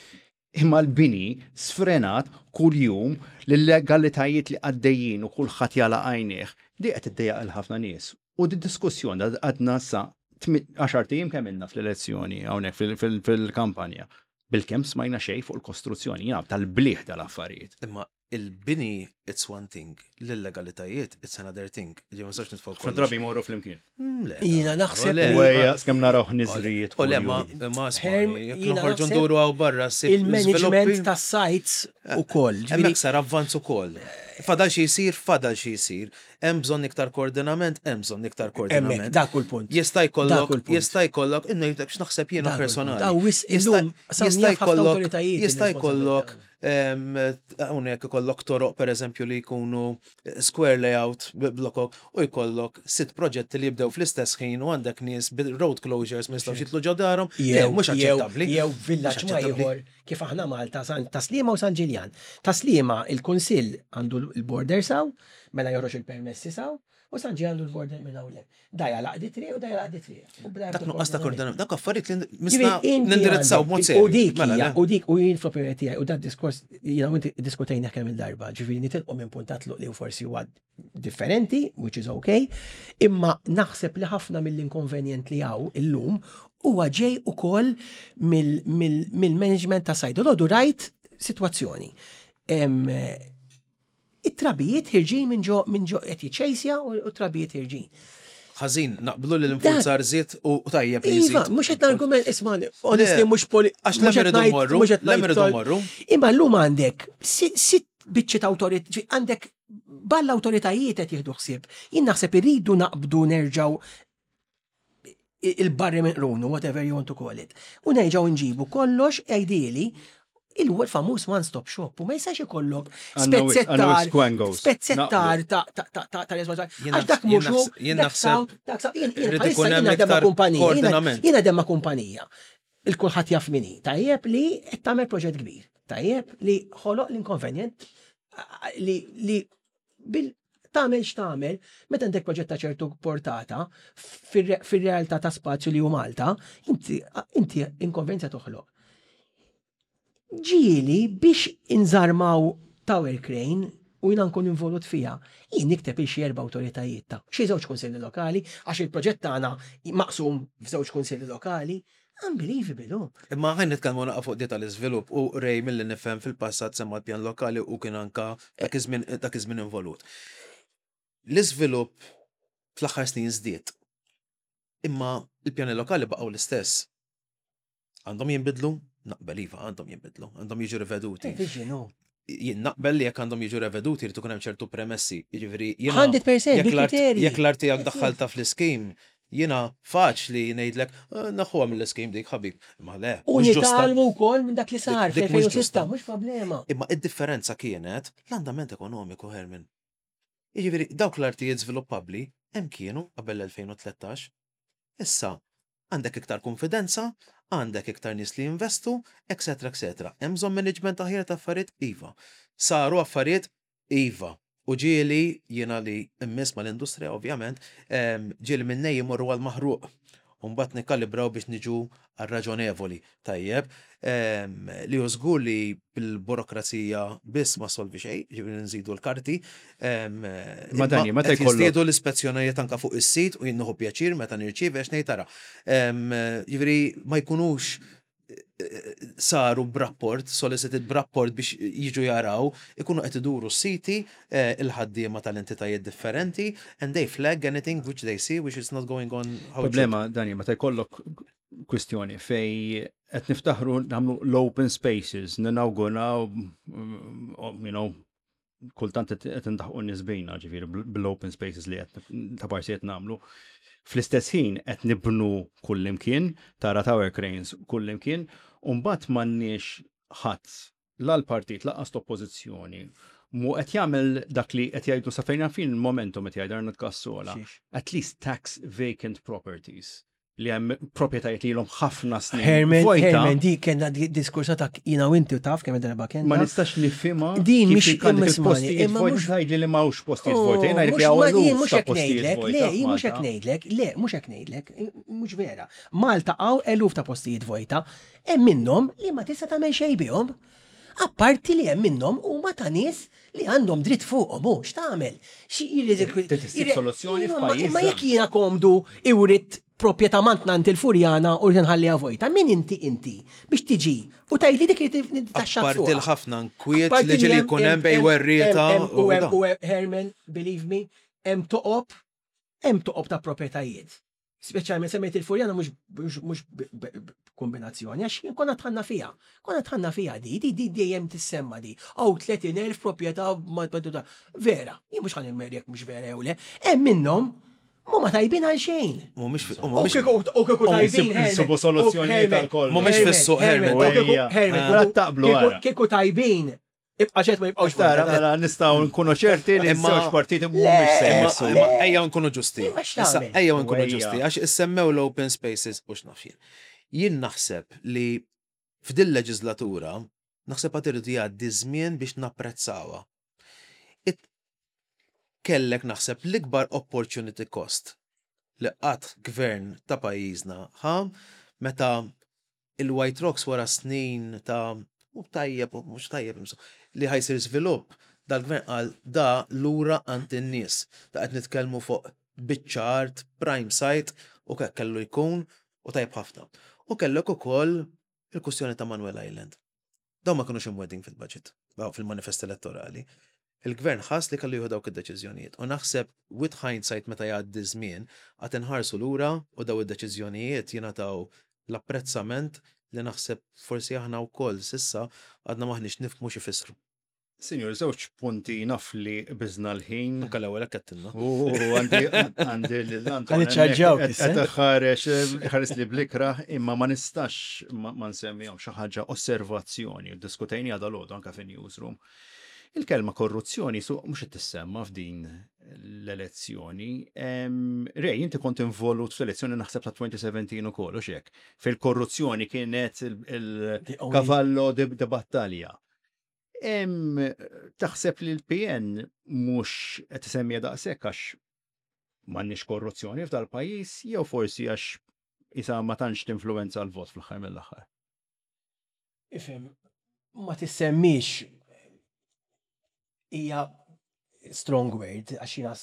Imma l-bini sfrenat kuljum, l-legalitajiet li għaddejjin u kulħadd jagħlaq għajnejh, di qed tiddejjaq il ħafna nies. U di diskussjoni għadna sa għaxart ijiem kemm ilna fl-elezzjoni hawnhekk fil- fil- fil-kampanja. Bilkemm smajna xejn fuq il-kostruzzjoni, jaf tal-bliħ tal-affarijiet. Imma il-bini, it's one thing, l-illegalitajiet, it's another thing. Ġi ma nistax nitfgħu Ħafna drabi jmorru flimkien. Mm, le. Jiena naħseb U le, li- U ejja, skemm naraw ħniżrijiet U le, ma, kuljum. ma Herm, isma' jekk jiena noħorġu naħseb nduru hawn barra ssib il-management żviluppi- tas sites u koll. Hemmhekk sar avvanz ukoll. Fadal xi jsir, fadal xi jsir. Hemm bżonn iktar koordinament, hemm bżonn iktar Hemmhekk, koordinament. dak hu l-punt. Jista' Dak jkollok, hu l-punt. jista' jkollok, ngħidlek x'naħseb jiena Dak hu l-punt. personali. Daw wis Jista' illum sa jista' jaf ħafna jkollok awtoritajiet jista' jkollok il-responsabilità. em, hawnhekk ikollok toroq, pereżempju, li jkunu square layout bi blokok u jkollok sitt proġetti li jibdew fl-istess ħin u għandek nies bil-road closures ma jistgħux jitlu ġo darhom. Le, Jew, mhux jew, aċċettabbli. jew villaġġ Mhux ma aċċettabbli. ieħor kif aħna Malta, San Tas-Sliema u San Ġiljan. Tas-Sliema il-Kunsill għandu l-border saw, mela joħroġ il-permessi saw, u San Ġiljan għandu l-border minn hawn. Da jagħlaq di triq u da jagħlaq di triq. U bla Dak nuqqas ta' koordinament, dak affarijiet li Ġifieri, misna inti nindirizzaw għandek- b'mod U serju. dik Mela, hija, le. u dik u jien fl-opinjoni tiegħi u dat diskors jiena u inti diskutejna kemm il-darba, ġifieri nitilqu minn punt ta' tluq li forsi huwa differenti, which is okay, imma naħseb li ħafna mill-inkonvenjent li hawn illum huwa ġej ukoll mill-management ta' site. L rajt sitwazzjoni. Em, It-trabijiet ħerġin minn ġo minn ġo qed jiċċejsja u u trabijiet ħerġin. Ħażin, naqblu li l-infurzar żied u tajjeb li Iva, jżid. mhux qed argument, isma' honestly Le, mhux poli. għax mhux lem qed irridu ngħid- mmorru, mhux qed lem ngħid irridu tol- mmorru. Imma llum għandek si- sitt biċċi ta' awtorit, għandek balla awtoritajiet qed jieħdu ħsieb. Jien naħseb irridu naqbdu nerġgħu il-barri minn qrunu, whatever you want to call it. U nerġgħu nġibu kollox ideally Il-famuż one-stop shop u ma jistax ikollok Għandna wis- għandna wis spezzettar kwangos. spezzettar ta' ta' ta' ta' ta' responsabilità. Jien Għax dak jien mhux hu, naħs- jien dak naħseb saw, dak saw, jien jien irid bħalissa ikun hemm jien naħdem ma' iktar kumpanija, jiena- koordinament. Jien naħdem ma' kumpanija. Il-kulħadd jaf min hi. Tajjeb li qed tagħmel proġett kbir. Tajjeb li ħoloq l-inkonvenjent li li bil tagħmel x'tagħmel, meta għandek proġett ta' ċertu portata fir- fir-realtà ta' spazju li hu Malta, inti inti inkonvenjenza toħloq. Ġieli biex inżarmaw tower crane u jina nkun involut fija, jien nikteb il xi erba' awtoritajiet ta' xi żewġ kunsilli lokali, għax il-proġett tagħna maqsum f'żewġ kunsilli lokali. Unbelievable, oh. Imma ħa nitkellmu naqa fuq di tal-iżvilupp u Ray milli nifhem fil-passat semma l-pjan lokali u kien anka dak iż-żmien dak iż-żmien involut. L-iżvilupp fl-aħħar snin żdied. Imma il-pjani lokali baqgħu l-istess. Għandhom jinbidlu? Naqbel iva, għandhom jinbidlu, għandhom jiġu riveduti. Vision, oh. Jien naqbel li jekk għandhom jiġu reveduti jrid ikun hemm ċertu premessi. Jiġifieri jiena mija fil-mija jekk l-art bil-kriterji. jekk l-art tiegħek That's it. daħħalta fl-iskim, jiena faċli ngħidlek "Eh, naħuha mill-iskim dik ħabib. Imma le, U mhux ġusta. nitgħallmu wkoll minn dak li sar Dik- dik mhux fl-elfejn u sitta, ġusta. mhux problema. Imma id-differenza kienet l-andament ekonomiku, Herman. Jiġifieri dawk l-artijiet żviluppabbli hemm kienu qabel l-elfejn u tlettax. Issa għandek iktar konfidenza, għandek iktar nies li jinvestu, eċetera, eċetera. Hemm bżonn management aħjar ta' affarijiet iva. Saru affarijiet iva. U ġieli jiena li immiss mal-industrija ovvjament, em, ġieli minnej jimorru għal-maħruq. U mbagħad nikkalibraw biex niġu għal-raġonevoli. Tajjeb, em, li hu żgur li bil-burokrazija biss ma solvi xejn, ġifieri nżidu l-karti. em, Ma Dani, meta qed jkollok- jiżdiedu l-ispezzjonijiet anka fuq is-sit u jien nieħu pjaċir meta nirċievi għax ngħid tara. Em, Ġifieri ma jkunux eh, saru b'rapport, solicited b'rapport biex jiġu jaraw, ikunu qed iduru s-siti eh, il-ħaddiema tal-entitajiet differenti and they flag anything which they see which is not going on how it should. Problema, Dani, meta jkollok kwistjoni fej qed niftaħru nagħmlu l-open spaces, ninawguraw, mm, you know, kultant qed indaħqu nies bina, ġifieri bil-open spaces li qed ta' parsi qed nagħmlu. Fl-istess ħin qed nibnu kullimkien, tara tower cranes kullimkien, u mbagħad m'għandniex ħadd la l-partit lanqas l-oppożizzjoni mu qed jagħmel dak li qed jgħidu sa fejn fin momentum qed jgħid Arnold Cassola. Xiex. At least tax vacant properties li hemm proprjetajiet li ilhom ħafna snin. Herman, Vojta, Herman, di kena di diskursa ta' jina u inti u taf kemm darba kena. Ma nistax nifhimha Din kif mhix jekk għandek imma ismani, il-postijiet imma vojta mhux- tgħidli li m'hawnx postijiet Oh, vojta. Jien ngħidlek li mhux- hawn ma- jien eluf mhux ta' hekk postijiet ngħidlek, vojta le, jien mhux hekk f'Malta. ngħidlek, le, mhux hekk ngħidlek, mhux vera. Malta hawn eluf ta' postijiet vojta, hemm minnhom li ma tista' tagħmel xejn bihom. Apparti li hemm minnhom huma ta' nies li għandhom dritt fuqhom, hu x'tagħmel? Xi jrid Trid issib soluzzjoni Imma- f'pajjiżna. Imma jekk jiena komdu iwrit proprjetà mantnant il-Furjana u rrid nħalliha vojta, min inti inti biex tiġi u tgħidli dik li taxxa Apparti l-ħafna nkwiet Apparti li ġieli hemm- jkun hemm bej hemm- werrieta hemm- u u hemm- da. u hemm- Herman, believe me, hemm toqob, hemm toqob ta' proprjetajiet. Speċjalment semmejt il-Furjana mhux mhux mhux b- b- b- kombinazzjoni, għax jien konna tħanna fija. Konna tħanna fija di, di di dejjem tissemma di. Aw tletin elf proprjetà ma ma- Vera, jien mhux ħa nimmerjek mhux vera jew le. Hemm minnhom mhuma tajbin għal xejn. Mhumiex fi- U mhumiex kieku u kieku tajbin. Insibu Herman, soluzzjonijiet u għal kollox. Mhumiex fis-suq, Herman. u kieku- Ejja. Herman, Mela kieku- taqblu kieku- ara. Kieku tajbin, ibqa' ċert ma jibqgħux Tara, vojta. mela nistgħu nkunu ċerti li Imma- żewġ partiti mhumiex se Imma jmissu. imma ejja nkunu ġusti. Imma Issa x'tagħmel? ejja nkunu Ejja. ġusti għax issemmew l-open spaces u x'naf jien. Jien naħseb li f'dil leġislatura naħseb għad irid jgħaddi żmien biex napprezzawha. It kellek naħseb l-ikbar opportunity cost li qatt gvern ta' pajjiżna ħa meta il-White Rocks wara snin ta' u tajjeb u mhux tajjeb imsu, li ħa jsir żvilupp, dal-gvern qal da lura għand in-nies. Da qed nitkellmu fuq biċċa art, prime site u kek kellu jkun u tajjeb ħafna. U kellek ukoll il-kwistjoni ta' Manuel Island. Dawn ma kinux imwegħdin fil-budget, daw fil-manifest elettorali. Il-gvern ħass li kellu jieħu dawk id-deċiżjonijiet. U naħseb with hindsight meta jgħaddi żmien għad inħarsu lura u daw id-deċiżjonijiet jingħataw l-apprezzament li naħseb forsi aħna wkoll s'issa għadna maħniex nifhmu x'ifissru. Sinjur, żewġ punti, naf li biżna l-ħin. Anka l-ewwel hekk għedtilna. U għandi għandi l-Anton. Ħa niċċarġawk issa. Qed ħareġ ħares li bl-ikrah, imma ma nistax ma ma nsemmihom xi ħaġa, osservazzjoni, diskutejni għada l anka fin newsroom. Il-kelma korruzzjoni su mhux qed tissemma f'din l-elezzjoni. Em, Ray, inti kont involut fl-elezzjoni, naħseb, ta' elfejn u sbatax ukoll, u xek. Fil-korruzzjoni kienet The only- il-cavallo di di battalja. Em, taħseb li l-P N mhux qed isemmija daqshekk għax m'għandniex korruzzjoni f'dal pajjiż jew forsi għax isa ma tantx tinfluwenza l-vot fl-aħħar mill-aħħar? Ifhem, ma tissemmix hija strong word, għax jiena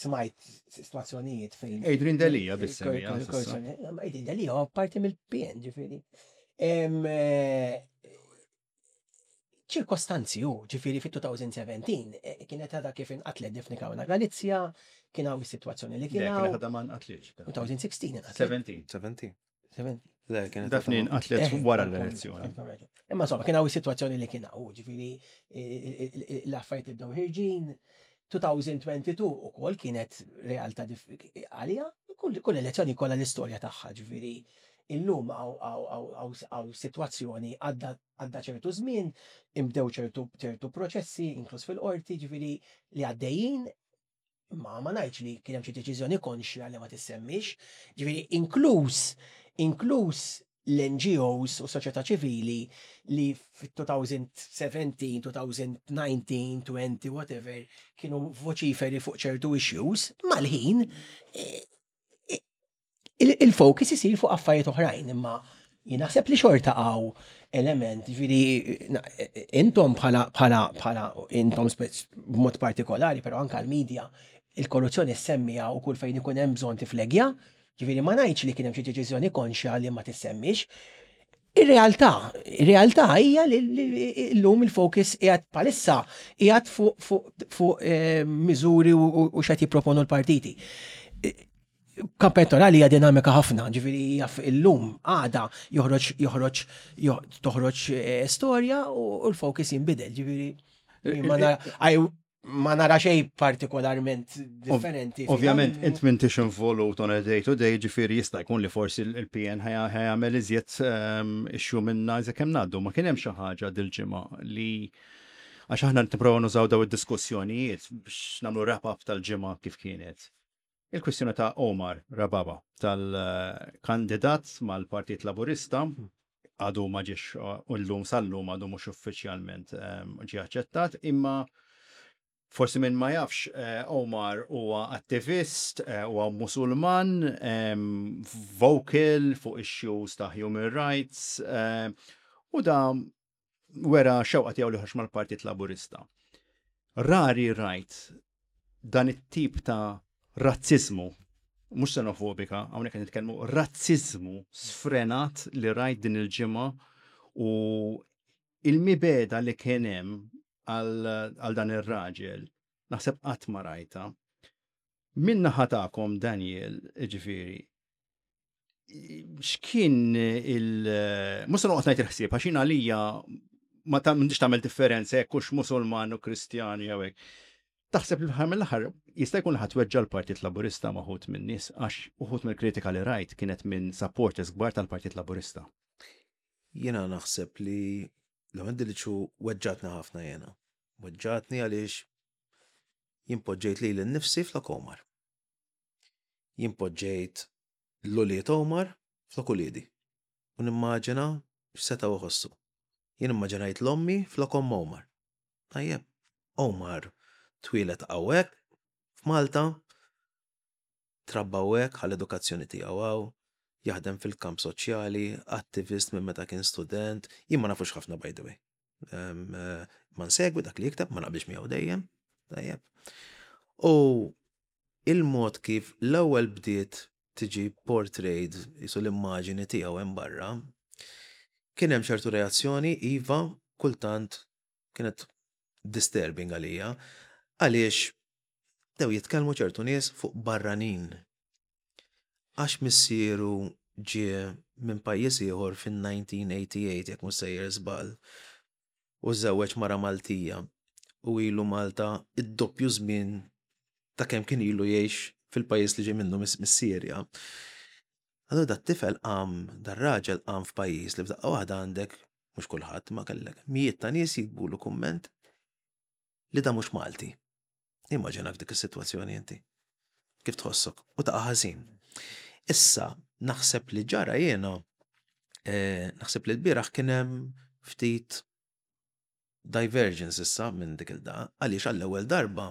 smajt situazzjonijiet fejn. Adrian Delia biss semmija s'issa. Ma Adrian Delia huwa parti mill-P N, ġifieri. Em, eh, ċirkostanzi u, ġifieri fit-elfejn u sbatax eh, kienet għadha kif inqatlet Daphne Caruana Galizia, kien hawn is-sitwazzjoni li kien Le, hawn. kien ħadha ma nqatlitx. elfejn u sittax inqatlet. sbatax. sbatax. sbatax. Le, kienet Daphne nqatlet Eh, wara eh, l-elezzjoni. eh, Imma insomma, kien hawn is-sitwazzjoni li kien hawn, ġifieri eh, eh, l-affarijiet ibdew ħirġin. elfejn u tnejn u għoxrin ukoll kienet realtà dif- għalija, kull kull elezzjoni kollha l-istorja tagħha, ġifieri illum hawn sitwazzjoni, għadda għadda ċertu żmien, imbdew ċertu ċertu proċessi, inkluż fil-qorti, ġifieri li għaddejjin, ma ma ngħidx li kien hemm xi deċiżjoni konxja li ma tissemmix, ġifieri inkluż inkluż l-N G Os u soċjetà ċivili li fit-elfejn u sbatax, elfejn u dsatax, għoxrin, whatever, kienu voċiferi fuq ċertu issues, mal-ħin eh, eh, il- il-focus isir fuq affarijiet oħrajn, imma jien naħseb li xorta hawn element, ġifieri, na- intom bħala bħala bħala intom spec- b'mod partikolari, però anka l-medja, il-korruzzjoni semmija u kull fejn ikun hemm bżonn tiflegja, ġifieri ma ngħidx li kien hemm xi deċiżjoni konxja li ma tissemmix. Ir-realtà, ir-realtà hija li li llum il-focus qiegħed palissa qiegħed fuq fuq fuq eh, miżuri u u- u x'qed jipproponu l-partiti. Kamp elettorali hija dinamika ħafna, ġifieri hija illum għada joħroġ joħroġ jo- toħroġ eh, storja u u l-focus jinbidel, ġifieri ma nara I- ma nara xejn partikolarment differenti. Ovvjament, int m'intix involut on a day to day, ġifieri jista' jkun li forsi il-P N ħa jagħmel iżjed ehm, issue minna iżjed kemm ngħaddu. Ma kien hemm xi ħaġa dil-ġimgħa li, għax aħna nipprovaw nużaw daw id-diskussjonijiet biex nagħmlu wrap-up tal-ġimgħa kif kienet. Il-kwistjoni ta' Omar Rababa, tal-kandidat mal-Partit Laburista, għadu ma ġiex u llum sal-lum għadu mhux uffiċjalment ehm, ġie aċċettat, imma forsi minn ma jafx, eh, Omar huwa attivist, eh, huwa Musulman, em, vocal fuq issues ta' human rights, eh, u da wera xewqa tiegħu li ħax mal-Partit Laburista. Rari rajt dan it-tip ta' razzizmu, mhux xenofobika, hawnhekk qed nitkellmu razzizmu sfrenat li rajt din il-ġimgħa u il-mibegħda li kien hemm għal għal dan ir-raġel, naħseb qatt ma rajta. Min naħa tagħkom, Daniel, ġifieri, x'kien il- Mhux se noqgħod ngħid il-ħsieb, għax jien għalija ma ta' m'għandix tagħmel differenza jekk hux Musulman u Kristjan jew hekk. Taħseb li fl mill-aħħar jista' jkun li ħadd weġġa l-Partit Laburista ma' uħud minn nies, għax uħud mill-kritika li rajt kienet minn supporters kbar tal-Partit Laburista? Jiena naħseb li l-għandi li ċu weġġatni ħafna jena. Weġġatni għaliex jien poġġejt lili nnifsi flok Omar. Jien poġġejt l-ulied Omar flok uliedi. U nimmaġina x'setgħu iħossu. Jien immaġinajt l-ommi flok omm Omar. Tajjeb, Omar twieled hawnhekk f'Malta, trabba hawnhekk, għall-edukazzjoni tiegħu hawn, jaħdem fil-kamp soċjali, attivist minn meta kien student, jien ma nafux ħafna, by the way. Um, eh, ma nsegwi dak li jikteb, ma naqbilx miegħu dejjem. Tajjeb. U il-mod kif l-ewwel bdiet tiġi portrayed jisu l-immaġini tiegħu hemm barra, kien hemm ċertu reazzjoni, iva, kultant kienet disturbing għalija, għaliex bdew jitkellmu ċertu nies fuq barranin. Għax missieru ġie minn pajjiż ieħor fin-elf disa' mija u tmienja u tmenin, jekk mhux sejjer żball, u żewweġ mara Maltija. u ilu Malta id-doppju żmien ta' kemm kien ilu jgħix fil-pajjiż li ġej minnu mis-Sirja. Allura dat-tifel qam, dar-raġel qam f'pajjiż li f'daqqa waħda għandek, mhux kulħadd, ma kellek mijiet ta' nies jiktbulu kumment li da mhux Malti. Immaġina f'dik is-sitwazzjoni inti. Kif tħossok? U taqa' ħażin. Issa, naħseb li ġara jiena, eh, naħseb li l-bieraħ kien hemm ftit divergence issa minn dik il-da, għaliex għall-ewwel darba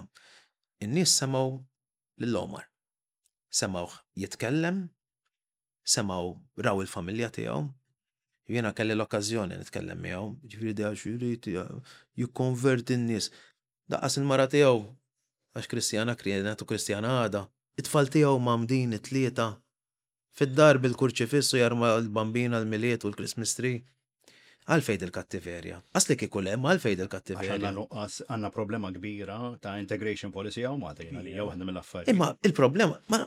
in-nies semgħu lil Omar. Semgħuh jitkellem, semgħu raw il-familja tiegħu. Jiena kelli l-okkażjoni nitkellem miegħu, ġifieri da x'irid jikkonverti n-nies. Daqqas il-mara tiegħu għax Kristjana kienet u Kristjana għada. It-tfal tiegħu mgħammdin it-tlieta fid-dar bil-kurċifissu jarma l-bambina l-Milied u l-Christmas tree. Għalfejn il-kattiverja. Asli kieku le, ma għalfejn Għax il-kattiverja. għandna nuqqas, għandna problema kbira ta' integration policy hawn Malta jiena li hija waħda mill-affarijiet. Imma il-problema, ma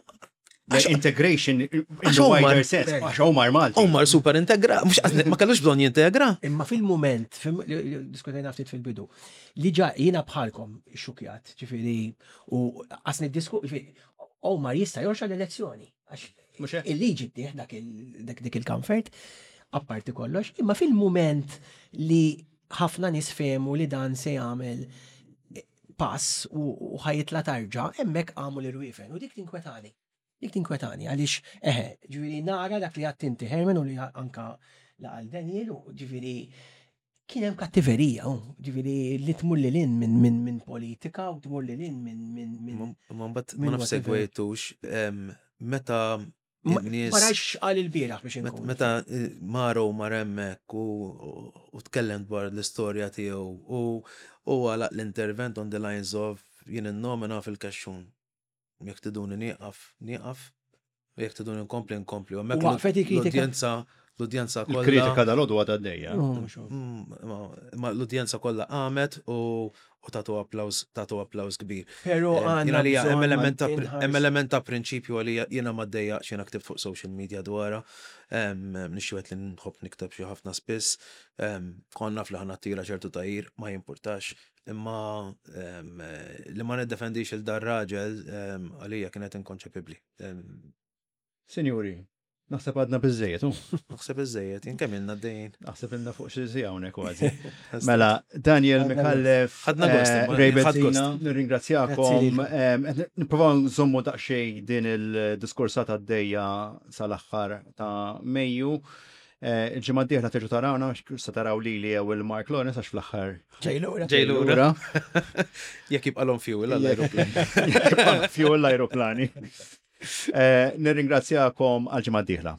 Le, Integration in għax the Omar- wider sense, għax Omar Malti. Omar super integra, mhux ma kellux bżonn jintegra. Imma fil-moment, fil- li- li diskutajna ftit fil-bidu, li ġa jiena bħalkom xukjat, ġifieri, u għasni disku, ġifieri, Omar jista' jorxa l-elezzjoni. Għax Mhux hekk? il-liġi ttih dak il- dak dik il-comfort, apparti kollox, imma fil-moment li ħafna nies fehmu li dan se jagħmel pass u u ħa jitla' tarġa, hemmhekk għamu l-irwiefen u dik tinkwetani. Dik tinkwetani, għaliex, eħe, ġifieri nara dak li għedt inti Herman u li anka laqal Daniel, u ġifieri kien hemm kattiverija, u ġifieri li tmur lil hinn minn min, min politika u tmur lil hinn minn minn minn Ma mbagħad Min ma naf whatever. segwejtux em, meta Ma n-nies ma rajx qal il-bieraħ biex Met- inkun. Meta eh, Maro mar hemmhekk u u tkellem dwar l-istorja tiegħu u u għalaq l-intervent on the lines of jien innomina fil-kaxxun. Jekk tiduni nieqaf, nieqaf, u jekk tiduni nkompli nkompli. U hemmhekk U waqfet il-kritika? l-udjenza l-udjenza kollha. Il-kritika dal-għodu għadha għaddejja. Oh, mhux hekk. Mm, ma- Ma l-udjenza kollha qamet u u tatu applaus tatu applaus kbir. Pero Eh, għandna Jiena li hemm bżonn element ta' inħarsu. hemm element ta' prinċipju għalija jiena ma ddejjaqx jiena ktibt fuq social media dwarha. Nixxi li nħobb nikteb xi ħafna spiss. Em, Konna fl ħana tira ċertu tajir, ma jimpurtax. Imma em, eh, li ma niddefendix il dar raġel em, għalija kienet inkonċepibbli. Em, Sinjuri, naħseb għadna biżżejjed, u? Naħseb iżżejjed, jien kemm ilna għaddejjin. Naħseb ilna fuq xi siegħa hawnhekk kważi. Mela, Daniel Ħadna Micallef, Ħadna gost, eh, imma, Ray ħadd Bezzina, gost. nirringrazzjakom. Grazzi lilkom. Em, qed Nippruvaw nżommu daqsxejn din il-diskursata għaddejja sal-aħħar ta' Mejju. Eh, Il-ġimgħa d-dieħla terġgħu tarawna, se taraw lili jew il-Mark Lawrence għax fl-aħħar Ġej lura. Ġej lura. Jekk jibqalhom fuel għall-aeroplan. Jibqa' fuel l-aeroplani. Eh, Nirringrazzjakom għal ġimgħa d-dieħla.